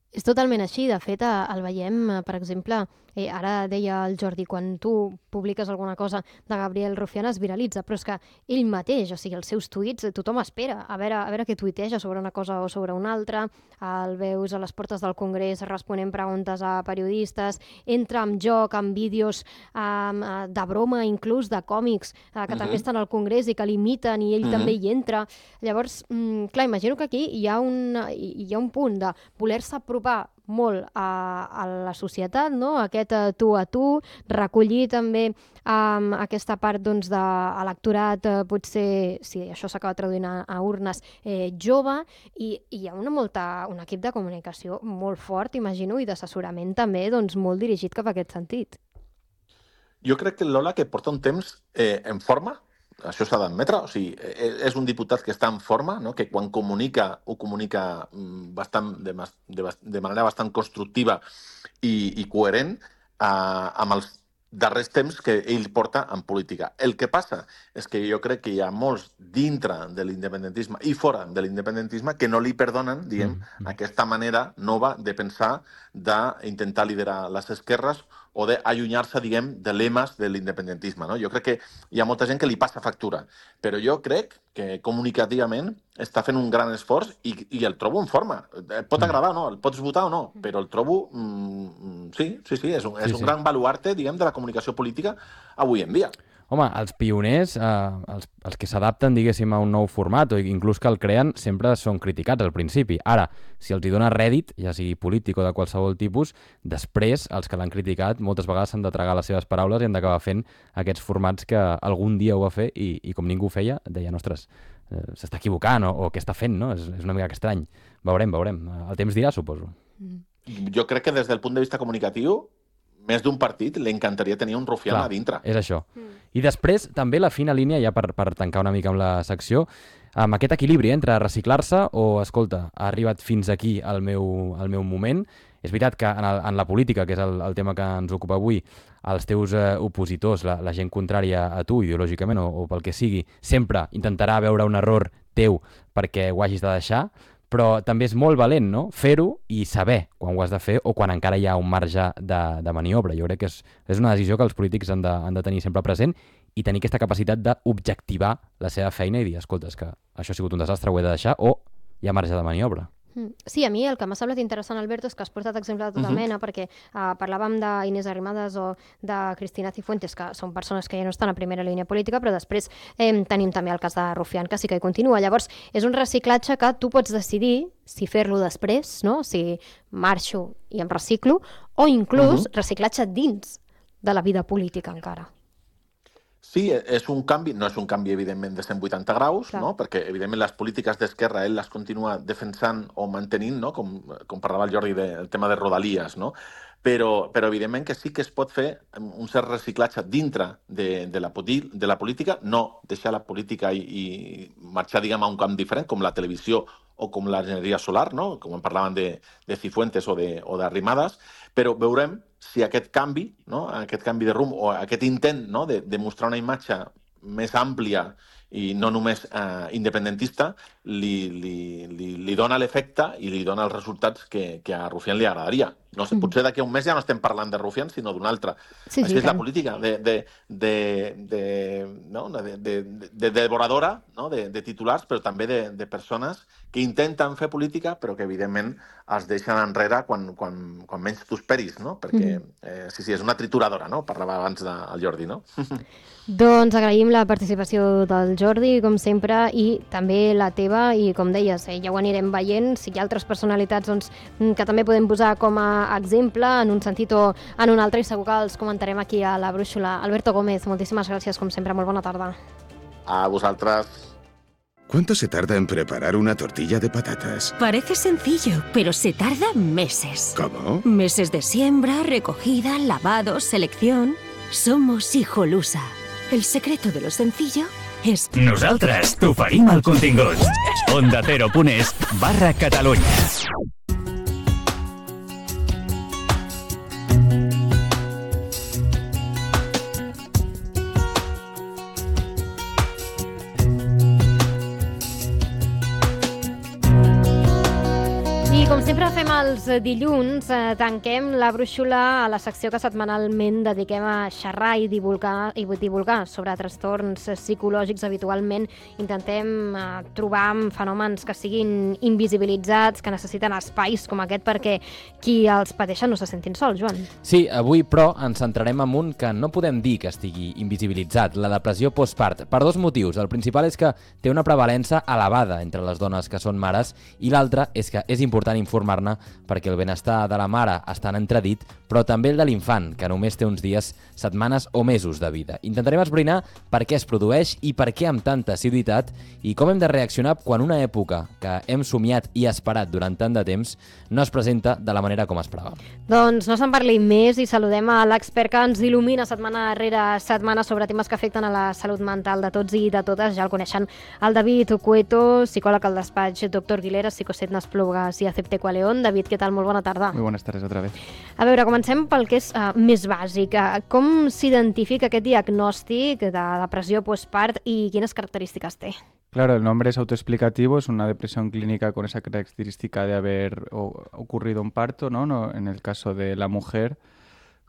És totalment així. De fet, el veiem, per exemple, ara deia el Jordi, quan tu publiques alguna cosa de Gabriel Rufián es viralitza, però és que ell mateix, o sigui, els seus tuits, tothom espera a veure què tuiteja sobre una cosa o sobre una altra, el veus a les portes del Congrés responent preguntes a periodistes, entra en joc amb vídeos de broma, inclús de còmics, que també estan al Congrés i que l'imiten i ell també hi entra. Llavors, clar, imagino que aquí hi ha un punt de voler-se apropar molt a la societat, no? Aquest tu a tu, recollir també aquesta part de electorat, potser, si això s'acaba traduint a urnes, jove, i hi ha un equip de comunicació molt fort, imagino, i d'assessorament també molt dirigit cap a aquest sentit. Jo crec que Lola, que porta un temps en forma, això s'ha d'admetre, o sigui, és un diputat que està en forma, no? Que quan comunica, ho comunica de manera bastant constructiva i coherent, amb els darrers temps que ell porta en política. El que passa és que jo crec que hi ha molts dintre de l'independentisme i fora de l'independentisme que no li perdonen, diguem, aquesta manera nova de pensar, d'intentar liderar les esquerres o d'allunyar-se, diguem, de lemes de l'independentisme. No? Jo crec que hi ha molta gent que li passa factura, però jo crec que comunicativament està fent un gran esforç i el trobo en forma. Et pot agradar o no, el pots votar o no, però el trobo... Sí, és un gran baluarte, diguem, de la comunicació política avui en dia. Home, els pioners, els que s'adapten, diguéssim, a un nou format o inclús que el creen, sempre són criticats al principi. Ara, si els hi dona rèdit, ja sigui polític o de qualsevol tipus, després, els que l'han criticat, moltes vegades s'han de tragar les seves paraules i han d'acabar fent aquests formats que algun dia ho va fer i com ningú ho feia, deien, ostres, s'està equivocant o què està fent, no? És una mica estrany. Veurem. El temps dirà, suposo. Jo crec que des del punt de vista comunicatiu, més d'un partit li encantaria tenir un rufián a dintre. És això. I després, també la fina línia, ja per tancar una mica amb la secció, amb aquest equilibri entre reciclar-se o, escolta, ha arribat fins aquí el meu moment. És veritat que en la política, que és el tema que ens ocupa avui, els teus opositors, la gent contrària a tu ideològicament o pel que sigui, sempre intentarà veure un error teu perquè ho hagis de deixar, però també és molt valent, no?, fer-ho i saber quan ho has de fer o quan encara hi ha un marge de maniobra. Jo crec que és una decisió que els polítics han de tenir sempre present i tenir aquesta capacitat d'objectivar la seva feina i dir, escolta, és que això ha sigut un desastre, ho he de deixar, o hi ha marge de maniobra. Sí, a mi el que m'ha semblat interessant, Alberto, és que has portat exemple de tota mena, perquè parlàvem d'Inés Arrimadas o de Cristina Cifuentes, que són persones que ja no estan a primera línia política, però després tenim també el cas de Rufián, que sí que hi continua. Llavors, és un reciclatge que tu pots decidir si fer-lo després, no? Si marxo i em reciclo, o inclús reciclatge dins de la vida política encara. Sí, és un canvi, no és un canvi, evidentment, de 180 graus, no? Perquè, evidentment, les polítiques d'esquerra ell les continua defensant o mantenint, no? Com parlava el Jordi del tema de Rodalies, no? Però evidentment que sí que es pot fer un cert reciclatge dintre de la política, no deixar la política i marxar, diguem, a un camp diferent, com la televisió o com l'enginyeria solar, no? Com en parlaven de Cifuentes o d'Arrimadas, però veurem si aquest canvi, no? Aquest canvi de rumb o aquest intent, no? de mostrar una imatge més àmplia i no només independentista, li dona l'efecte i li dona els resultats que a Rufián li agradaria. No sé, potser d'aquí a un mes ja no estem parlant de Rufián, sinó d'un altre. Sí, Així és la política, de devoradora, no? de titulars, però també de persones que intenten fer política, però que evidentment es deixen enrere quan menys t'ho esperis, no? Perquè, sí, és una trituradora, no? Parlava abans del Jordi, no? Doncs agraïm la participació del Jordi, com sempre, i també la teva, i com deies, ja ho anirem veient, si hi ha altres personalitats que també podem posar com a exemple, en un sentit o en un altre, i segur que els comentarem aquí a la Brúixola. Alberto Gómez, moltíssimes gràcies, com sempre, molt bona tarda. A vosaltres. ¿Cuánto se tarda en preparar una tortilla de patatas? Parece sencillo, pero se tarda meses. ¿Cómo? Meses de siembra, recogida, lavado, selección. Somos Hijolusa. El secreto de lo sencillo és... Nosaltres t'oferim el contingut. ondacero.es/Catalunya. I com sempre fem els dilluns, tanquem la brúixola a la secció que setmanalment dediquem a xerrar i divulgar sobre trastorns psicològics. Habitualment intentem trobar fenòmens que siguin invisibilitzats, que necessiten espais com aquest perquè qui els pateixen no se sentin sols, Joan. Sí, avui, però, ens centrarem en un que no podem dir que estigui invisibilitzat, la depressió postpart, per dos motius. El principal és que té una prevalença elevada entre les dones que són mares i l'altre és que és important informar-ne perquè el benestar de la mare està en entredit, però també el de l'infant, que només té uns dies, setmanes o mesos de vida. Intentarem esbrinar per què es produeix i per què amb tanta assiduïtat i com hem de reaccionar quan una època que hem somiat i esperat durant tant de temps no es presenta de la manera com esperàvem. Doncs no se'n parli més i saludem a l'expert que ens il·lumina setmana rere setmana sobre temes que afecten a la salut mental de tots i de totes. Ja el coneixen, el David Cueto, psicòleg al despatx Dr. Guilera, Psicoset Nasplugas i Acepte León. David, David, què tal? Molt bona tarda. Muy buenas tardes otra vez. A veure, comencem pel que és més bàsic. Com s'identifica aquest diagnòstic de depressió postpart i quines característiques té? Claro, el nombre es autoexplicativo, es una depresión clínica con esa característica de haber ocurrido un parto, ¿no? En el caso de la mujer.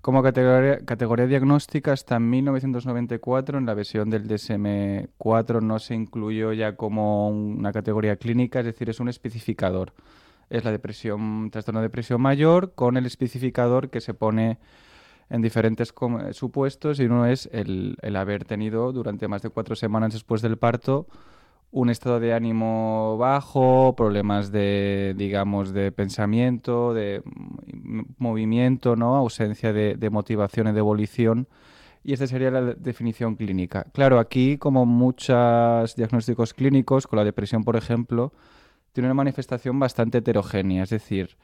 Como categoría diagnóstica, hasta 1994, en la versión del DSM-4, no se incluyó ya como una categoría clínica, es decir, es un especificador. Es la depresión, trastorno de depresión mayor, con el especificador que se pone en diferentes supuestos, y uno es el haber tenido durante más de 4 semanas después del parto un estado de ánimo bajo, problemas de, digamos, de pensamiento, de movimiento, ¿no? Ausencia de motivación y de volición. Y esta sería la definición clínica. Claro, aquí, como muchos diagnósticos clínicos, con la depresión, por ejemplo, tiene una manifestación bastante heterogénea. Es decir,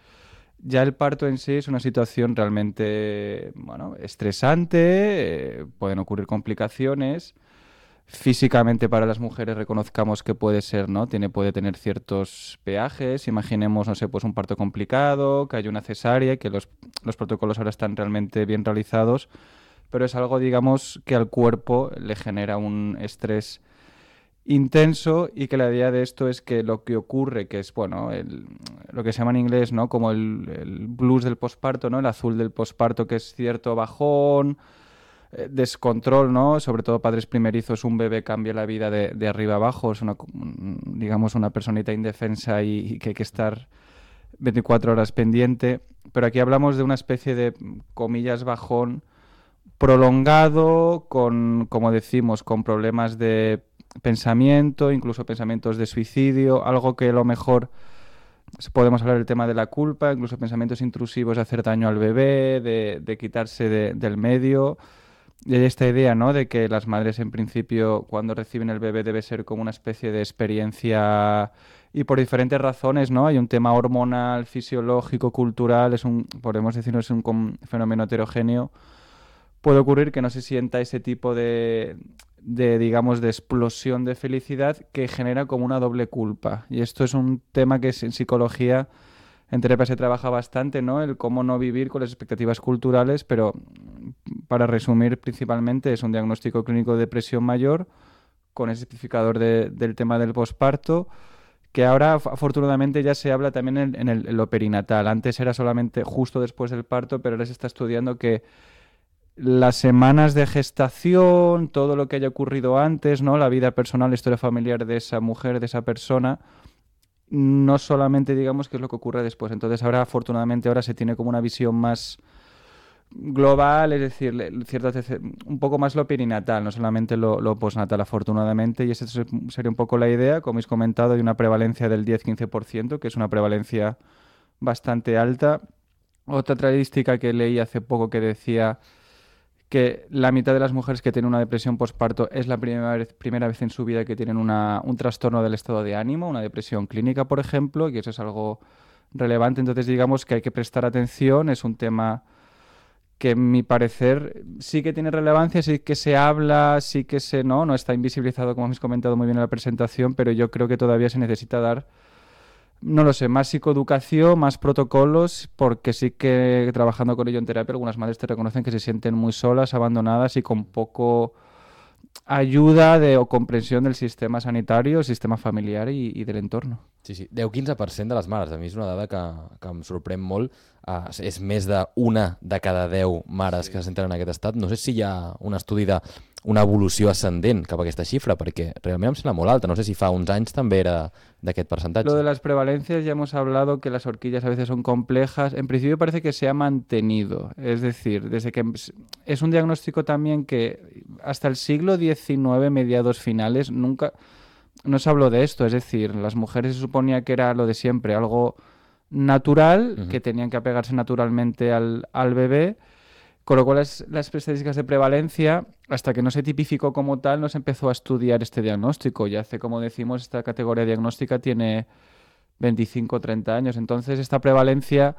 ya el parto en sí es una situación realmente, bueno, estresante, pueden ocurrir complicaciones. Físicamente para las mujeres reconozcamos que puede ser, ¿no? Puede tener ciertos peajes. Imaginemos, no sé, pues un parto complicado, que hay una cesárea, que los protocolos ahora están realmente bien realizados, pero es algo, digamos, que al cuerpo le genera un estrés intenso, y que la idea de esto es que lo que ocurre, que es, bueno, lo que se llama en inglés, ¿no? Como el blues del posparto, ¿no? El azul del posparto, que es cierto bajón, descontrol, ¿no? Sobre todo padres primerizos, un bebé cambia la vida de arriba abajo, es digamos, una personita indefensa y que hay que estar 24 horas pendiente. Pero aquí hablamos de una especie de, comillas, bajón prolongado, como decimos, con problemas de pensamiento, incluso pensamientos de suicidio, algo que a lo mejor podemos hablar del tema de la culpa, incluso pensamientos intrusivos de hacer daño al bebé, de quitarse del medio. Y hay esta idea, ¿no? De que las madres, en principio, cuando reciben el bebé, debe ser como una especie de experiencia, y por diferentes razones, ¿no? Hay un tema hormonal, fisiológico, cultural, podemos decirlo, es un fenómeno heterogéneo. Puede ocurrir que no se sienta ese tipo de digamos, de explosión de felicidad que genera como una doble culpa. Y esto es un tema que en psicología, en terapia, se trabaja bastante, ¿no? El cómo no vivir con las expectativas culturales, pero para resumir, principalmente es un diagnóstico clínico de depresión mayor con ese especificador del tema del posparto, que ahora afortunadamente ya se habla también en lo perinatal. Antes era solamente justo después del parto, pero ahora se está estudiando que las semanas de gestación, todo lo que haya ocurrido antes, ¿no? La vida personal, la historia familiar de esa mujer, de esa persona, no solamente, digamos, qué es lo que ocurre después. Entonces ahora, afortunadamente, ahora se tiene como una visión más global, es decir, un poco más lo perinatal, no solamente lo postnatal, afortunadamente, y esa sería un poco la idea. Como habéis comentado, hay una prevalencia del 10-15%, que es una prevalencia bastante alta. Otra estadística que leí hace poco que decía que la mitad de las mujeres que tienen una depresión postparto es la primera vez en su vida que tienen un trastorno del estado de ánimo, una depresión clínica, por ejemplo, y eso es algo relevante. Entonces, digamos que hay que prestar atención, es un tema que, en mi parecer, sí que tiene relevancia, sí que se habla, sí que no está invisibilizado, como habéis comentado muy bien en la presentación, pero yo creo que todavía se necesita dar, no lo sé, más psicoeducación, más protocolos, porque sí que trabajando con ello en terapia, algunas madres te reconocen que se sienten muy solas, abandonadas y con poco ayuda o comprensió del sistema sanitari, el sistema familiar i de l'entorn. Sí, 10-15% de les mares. A mi és una dada que em sorprèn molt. És més d'una de cada 10 mares que se senten en aquest estat. No sé si hi ha un estudi d'una evolució ascendent cap a aquesta xifra, perquè realment em sembla molt alta. No sé si fa uns anys també era d'aquest percentatge. Lo de las prevalencias, ya hemos hablado que las horquillas a veces son complejas. En principio parece que se ha mantenido. Es decir, desde que es un diagnóstico también que hasta el siglo XIX, mediados finales, nunca no se habló de esto. Es decir, las mujeres se suponía que era lo de siempre, algo natural, que tenían que apegarse naturalmente al bebé, con lo cual las estadísticas de prevalencia, hasta que no se tipificó como tal, no se empezó a estudiar este diagnóstico. Y hace, como decimos, esta categoría diagnóstica tiene 25 o 30 años. Entonces, esta prevalencia,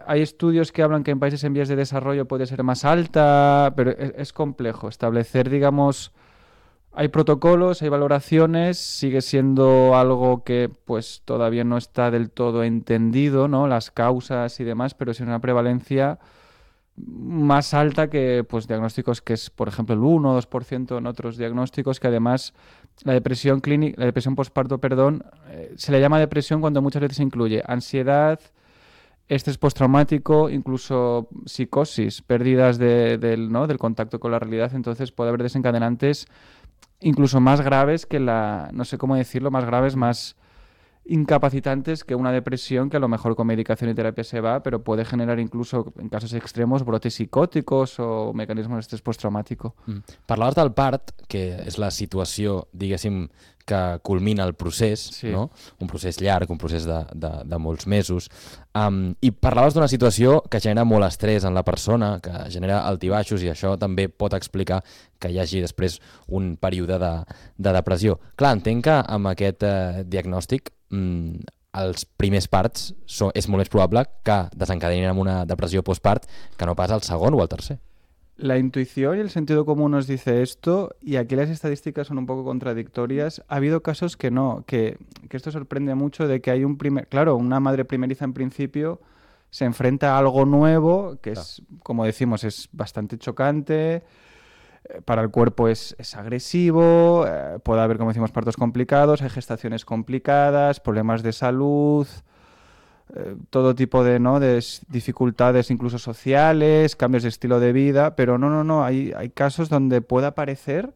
hay estudios que hablan que en países en vías de desarrollo puede ser más alta, pero es complejo establecer, digamos, Hay protocolos, hay valoraciones, sigue siendo algo que pues todavía no está del todo entendido, ¿no? Las causas y demás, pero sí una prevalencia más alta que pues diagnósticos que es, por ejemplo, el 1 o 2% en otros diagnósticos, que además la depresión postparto, se le llama depresión cuando muchas veces incluye ansiedad, estrés postraumático, incluso psicosis, pérdidas del contacto con la realidad. Entonces puede haber desencadenantes incluso más graves que no sé cómo decirlo, más graves, más incapacitantes que una depresión, que a lo mejor con medicación y terapia se va, pero puede generar incluso, en casos extremos, brotes psicòtics o mecanismes d'estrès postraumático. Parlaves del part, que és la situació, diguéssim, que culmina el procés, no? Un procés llarg, un procés de molts mesos. I parlaves d'una situació que genera molt estrès en la persona, que genera altibaixos, i això també pot explicar que hi hagi després un període de depressió. Clar, entenc que amb aquest diagnòstic els primers parts és molt més probable que desencadenin amb una depressió postpart que no pas el segon o el tercer. La intuición y el sentido común nos dice esto, y aquí las estadísticas son un poco contradictorias. Ha habido casos que no, que esto sorprende mucho, de que hay una madre primeriza en principio se enfrenta a algo nuevo, que es, como decimos, es bastante chocante, para el cuerpo es agresivo, puede haber, como decimos, partos complicados, hay gestaciones complicadas, problemas de salud, todo tipo de dificultades incluso sociales, cambios de estilo de vida, pero no, hay casos donde puede aparecer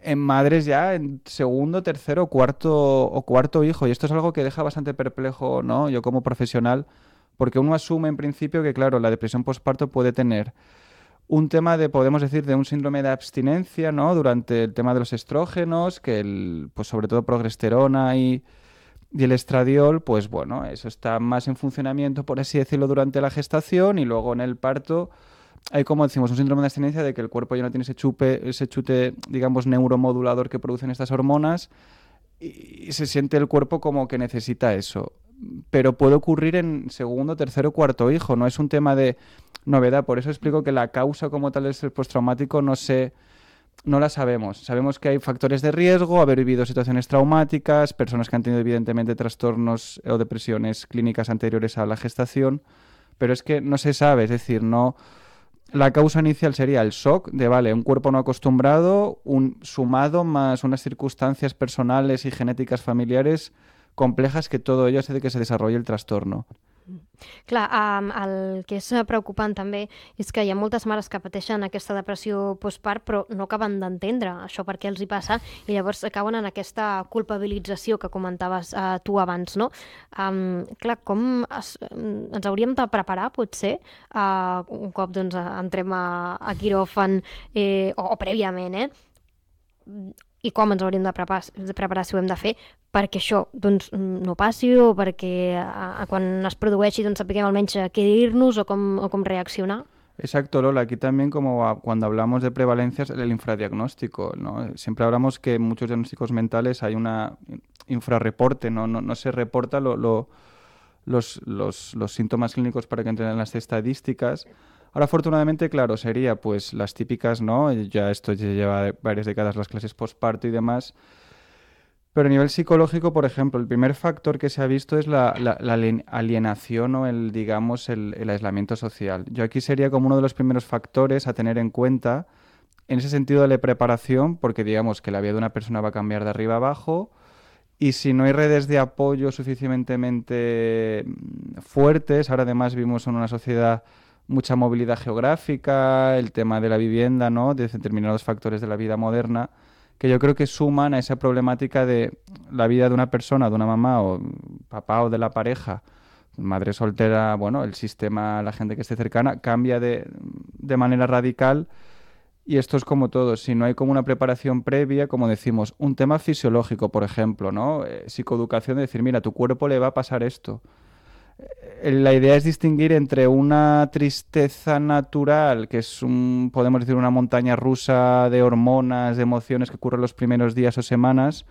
en madres ya en segundo, tercero o cuarto hijo, y esto es algo que deja bastante perplejo, ¿no? Yo como profesional, porque uno asume en principio que, claro, la depresión postparto puede tener un tema podemos decir, de un síndrome de abstinencia, ¿no? Durante el tema de los estrógenos, que pues sobre todo progesterona y el estradiol, pues bueno, eso está más en funcionamiento, por así decirlo, durante la gestación, y luego en el parto hay, como decimos, un síndrome de abstinencia de que el cuerpo ya no tiene ese chute, digamos, neuromodulador que producen estas hormonas, y se siente el cuerpo como que necesita eso. Pero puede ocurrir en segundo, tercero, cuarto hijo, no es un tema de novedad. Por eso explico que la causa como tal del estrés postraumático no la sabemos. Sabemos que hay factores de riesgo, haber vivido situaciones traumáticas, personas que han tenido evidentemente trastornos o depresiones clínicas anteriores a la gestación, pero es que no se sabe, es decir, no. La causa inicial sería el shock de, un cuerpo no acostumbrado, sumado más unas circunstancias personales y genéticas familiares complejas, que todo ello hace de que se desarrolle el trastorno. Clar, el que és preocupant també és que hi ha moltes mares que pateixen aquesta depressió postpart però no acaben d'entendre això per què els hi passa, i llavors acaben en aquesta culpabilització que comentaves tu abans, no? Clar, com ens hauríem de preparar, potser, un cop entrem a quiròfan o prèviament, i com ens hauríem de preparar si ho hem de fer perquè això no passi, o perquè quan es produeixi sapiguem almenys què dir-nos o com reaccionar? Exacto, Lola. Aquí también, como cuando hablamos de prevalencias, el infradiagnóstico, ¿no? Siempre hablamos que en muchos diagnósticos mentales hay una infrarreporte, no se reporta los síntomas clínicos para que entren en las estadísticas. Ahora, afortunadamente, claro, sería pues las típicas, ¿no? Ya esto lleva varias décadas, las clases postparto y demás. Pero a nivel psicológico, por ejemplo, el primer factor que se ha visto es la alienación o el aislamiento social. Yo aquí sería como uno de los primeros factores a tener en cuenta en ese sentido de la preparación, porque digamos que la vida de una persona va a cambiar de arriba a abajo, y si no hay redes de apoyo suficientemente fuertes, ahora además vivimos en una sociedad mucha movilidad geográfica, el tema de la vivienda, ¿no? De determinados factores de la vida moderna, que yo creo que suman a esa problemática de la vida de una persona, de una mamá o papá o de la pareja, madre soltera, el sistema, la gente que esté cercana, cambia de manera radical, y esto es como todo, si no hay como una preparación previa, como decimos, un tema fisiológico, por ejemplo, ¿no? Psicoeducación, de decir, mira, a tu cuerpo le va a pasar esto. La idea es distinguir entre una tristeza natural, que es podemos decir, una montaña rusa de hormonas, de emociones que ocurre en los primeros días o semanas,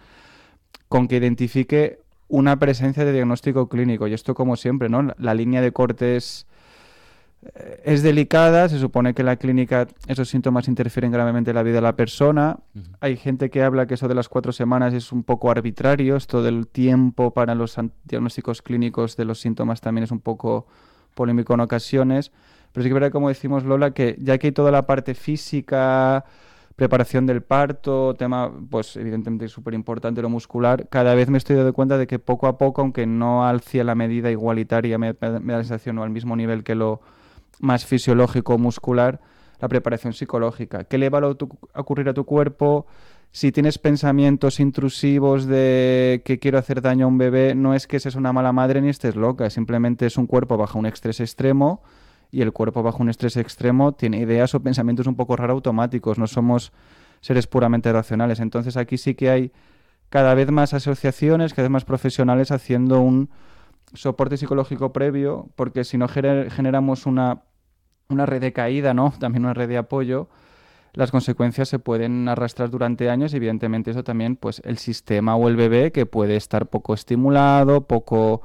con que identifique una presencia de diagnóstico clínico. Y esto, como siempre, ¿no? La línea de corte es es delicada, se supone que en la clínica esos síntomas interfieren gravemente en la vida de la persona. Hay gente que habla que eso de las 4 semanas es un poco arbitrario, esto del tiempo para los diagnósticos clínicos de los síntomas también es un poco polémico en ocasiones, pero sí que es verdad, como decimos Lola, que ya que hay toda la parte física, preparación del parto, tema, pues evidentemente súper importante lo muscular, cada vez me estoy dando cuenta de que poco a poco, aunque no hacia la medida igualitaria, me da la sensación, o al mismo nivel que lo más fisiológico muscular, la preparación psicológica. ¿Qué le va a ocurrir a tu cuerpo? Si tienes pensamientos intrusivos de que quiero hacer daño a un bebé, no es que seas una mala madre ni estés loca, simplemente es un cuerpo bajo un estrés extremo, y el cuerpo bajo un estrés extremo tiene ideas o pensamientos un poco raro automáticos, no somos seres puramente racionales. Entonces aquí sí que hay cada vez más asociaciones, cada vez más profesionales haciendo un soporte psicológico previo, porque si no generamos una red de caída, ¿no? También una red de apoyo, las consecuencias se pueden arrastrar durante años y evidentemente eso también, pues el sistema o el bebé que puede estar poco estimulado, poco,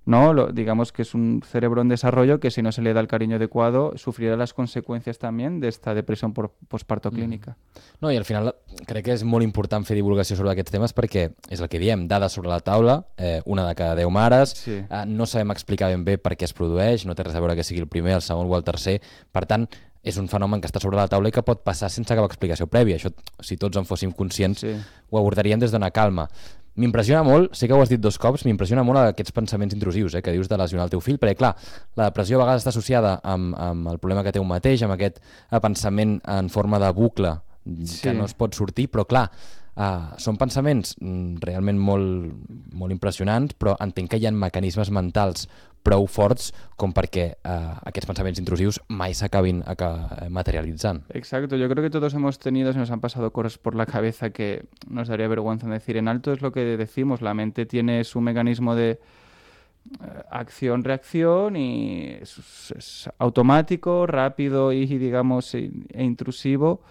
¿no? Digamos que es un cerebro en desarrollo que si no se le da el cariño adecuado sufrirà les conseqüències també d'esta depressió postparto clínica. No, i al final crec que és molt important fer divulgació sobre aquests temes perquè és el que diem, dades sobre la taula, una de cada 10 mares, sí. No sabem explicar ben bé per què es produeix, no té res a veure que sigui el primer, el segon o el tercer, per tant, és un fenomen que està sobre la taula i que pot passar sense cap explicació prèvia. Això, si tots en fóssim conscients, sí. Ho abordaríem des d'una calma. M'impressiona molt, sé que ho has dit 2 cops, m'impressiona molt aquests pensaments intrusius que dius de lesionar el teu fill, perquè clar, la depressió a vegades està associada amb el problema que té un mateix, amb aquest pensament en forma de bucle que no es pot sortir, però clar, són pensaments realment molt impressionants, però entenc que hi ha mecanismes mentals prou forts com perquè aquests pensaments intrusius mai s'acabin materialitzant. Exacto, yo creo que todos hemos tenido, se nos han pasado cosas por la cabeza que nos daría vergüenza decir en alto, es lo que decimos, la mente tiene su mecanismo de acción-reacción y es automático, rápido y digamos e intrusivo,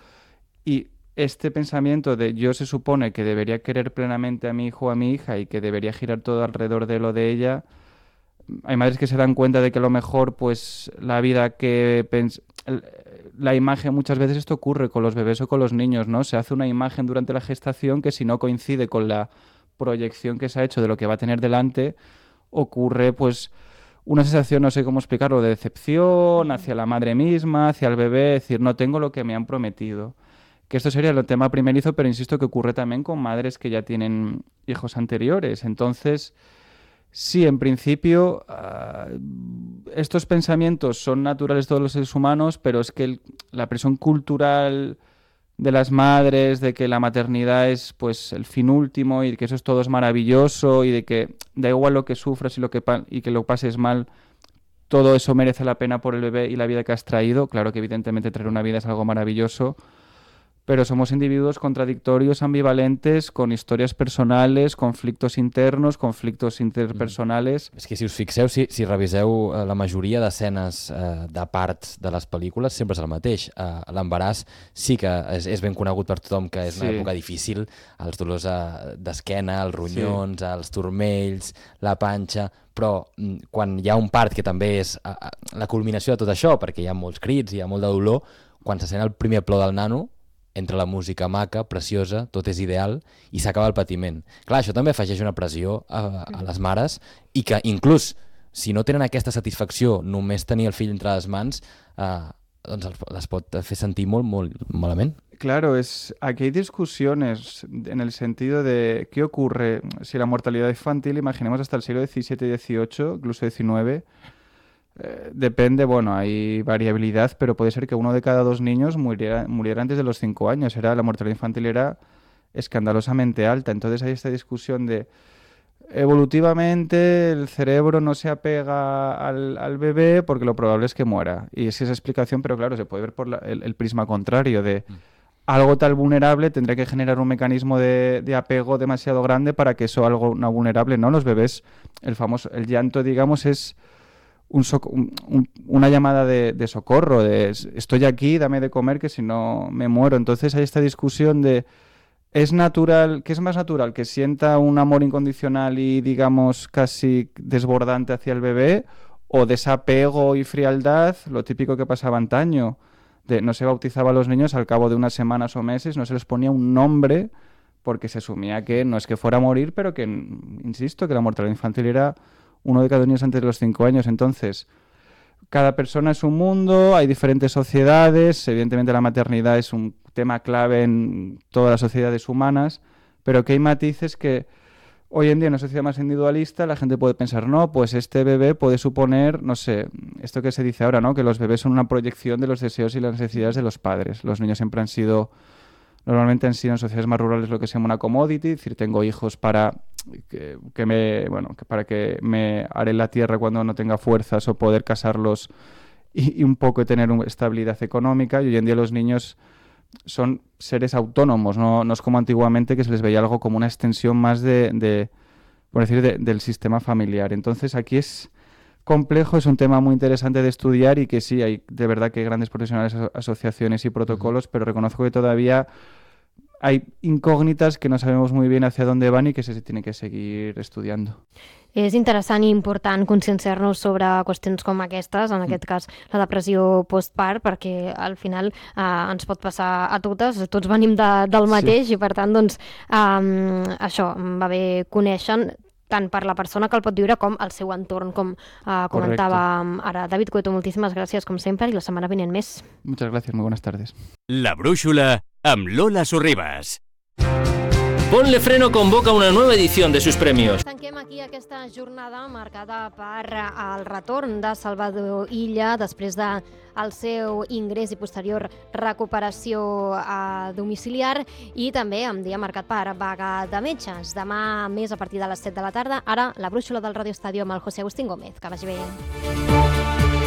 y este pensamiento de yo se supone que debería querer plenamente a mi hijo o a mi hija y que debería girar todo alrededor de lo de ella. Hay madres que se dan cuenta de que a lo mejor pues la vida que la imagen, muchas veces esto ocurre con los bebés o con los niños, ¿no? Se hace una imagen durante la gestación que si no coincide con la proyección que se ha hecho de lo que va a tener delante, ocurre pues una sensación, no sé cómo explicarlo, de decepción hacia la madre misma, hacia el bebé, decir no tengo lo que me han prometido. Que esto sería el tema primerizo, pero insisto que ocurre también con madres que ya tienen hijos anteriores. Entonces, sí, en principio, estos pensamientos son naturales de todos los seres humanos, pero es que la presión cultural de las madres, de que la maternidad es pues el fin último y que eso es todo es maravilloso y de que da igual lo que sufras y que lo pases mal, todo eso merece la pena por el bebé y la vida que has traído. Claro que evidentemente traer una vida es algo maravilloso, pero somos individuos contradictorios, ambivalentes, con històries personales, conflictos internos, conflictos interpersonales. És que si us fixeu, si reviseu la majoria d'escenes de parts de les pel·lícules, sempre és el mateix. L'embaràs sí que és ben conegut per tothom que és una època difícil, els dolors d'esquena, els ronyons, els turmells, la panxa, però quan hi ha un part que també és la culminació de tot això, perquè hi ha molts crits, hi ha molt de dolor, quan se sent el primer plor del nano, entre la música maca, preciosa, tot és ideal, i s'acaba el patiment. Clar, això també afegeix una pressió a les mares i que inclús si no tenen aquesta satisfacció només tenir el fill entre les mans, doncs les pot fer sentir molt, molt malament. Claro, aquí hay discusiones en el sentido de qué ocurre si la mortalidad infantil, imaginemos hasta el siglo XVII y XVIII, incluso XIX, depende, bueno, hay variabilidad, pero puede ser que 1 de cada 2 niños muriera antes de los 5 años. La mortalidad infantil era escandalosamente alta. Entonces hay esta discusión de evolutivamente el cerebro no se apega al bebé porque lo probable es que muera. Y es esa explicación, pero claro, se puede ver por el prisma contrario de algo tal vulnerable tendría que generar un mecanismo de apego demasiado grande para que eso algo no vulnerable, ¿no? Los bebés, el llanto, digamos, es una llamada de socorro, de estoy aquí, dame de comer, que si no me muero. Entonces hay esta discusión de ¿es natural, qué es más natural? ¿Que sienta un amor incondicional y digamos casi desbordante hacia el bebé? o desapego y frialdad, lo típico que pasaba antaño, de no se bautizaba a los niños al cabo de unas semanas o meses, no se les ponía un nombre porque se asumía que no es que fuera a morir, pero que, insisto, que la mortalidad infantil era 1 de cada 2 niños antes de los 5 años. Entonces, cada persona es un mundo, hay diferentes sociedades, evidentemente la maternidad es un tema clave en todas las sociedades humanas, pero que hay matices que hoy en día en una sociedad más individualista la gente puede pensar, no, pues este bebé puede suponer, no sé, esto que se dice ahora, ¿no? Que los bebés son una proyección de los deseos y las necesidades de los padres. Los niños siempre normalmente han sido en sociedades más rurales lo que se llama una commodity, es decir, tengo hijos para para que me haré la tierra cuando no tenga fuerzas o poder casarlos y un poco tener una estabilidad económica. Y hoy en día los niños son seres autónomos, no es como antiguamente que se les veía algo como una extensión más del sistema familiar. Entonces aquí es complejo, es un tema muy interesante de estudiar y que sí, hay de verdad que hay grandes profesionales, asociaciones y protocolos, pero reconozco que todavía hay incògnites que no sabemos muy bien hacia dónde van i que se tiene que seguir estudiando. És interessant i important conscienciar-nos sobre qüestions com aquestes, en aquest cas la depressió postpart, perquè al final ens pot passar a totes, tots venim del mateix i per tant doncs, això va bé conèixer tant per la persona que el pot viure com el seu entorn, com comentàvem ara. David Cueto, moltíssimes gràcies com sempre i la setmana vinent més. Muchas gracias, muy buenas tardes. La Brúixola amb Lola Sorribas. Ponle Freno convoca una nueva edición de sus premios. Tanquem aquí aquesta jornada marcada per el retorn de Salvador Illa després del seu ingrés i posterior recuperació domiciliar i també amb dia marcat per vaga de metges. Demà més a partir de les 7 de la tarda. Ara la Brúixola del Radio Estadio amb el José Agustín Gómez. Que vagi bé.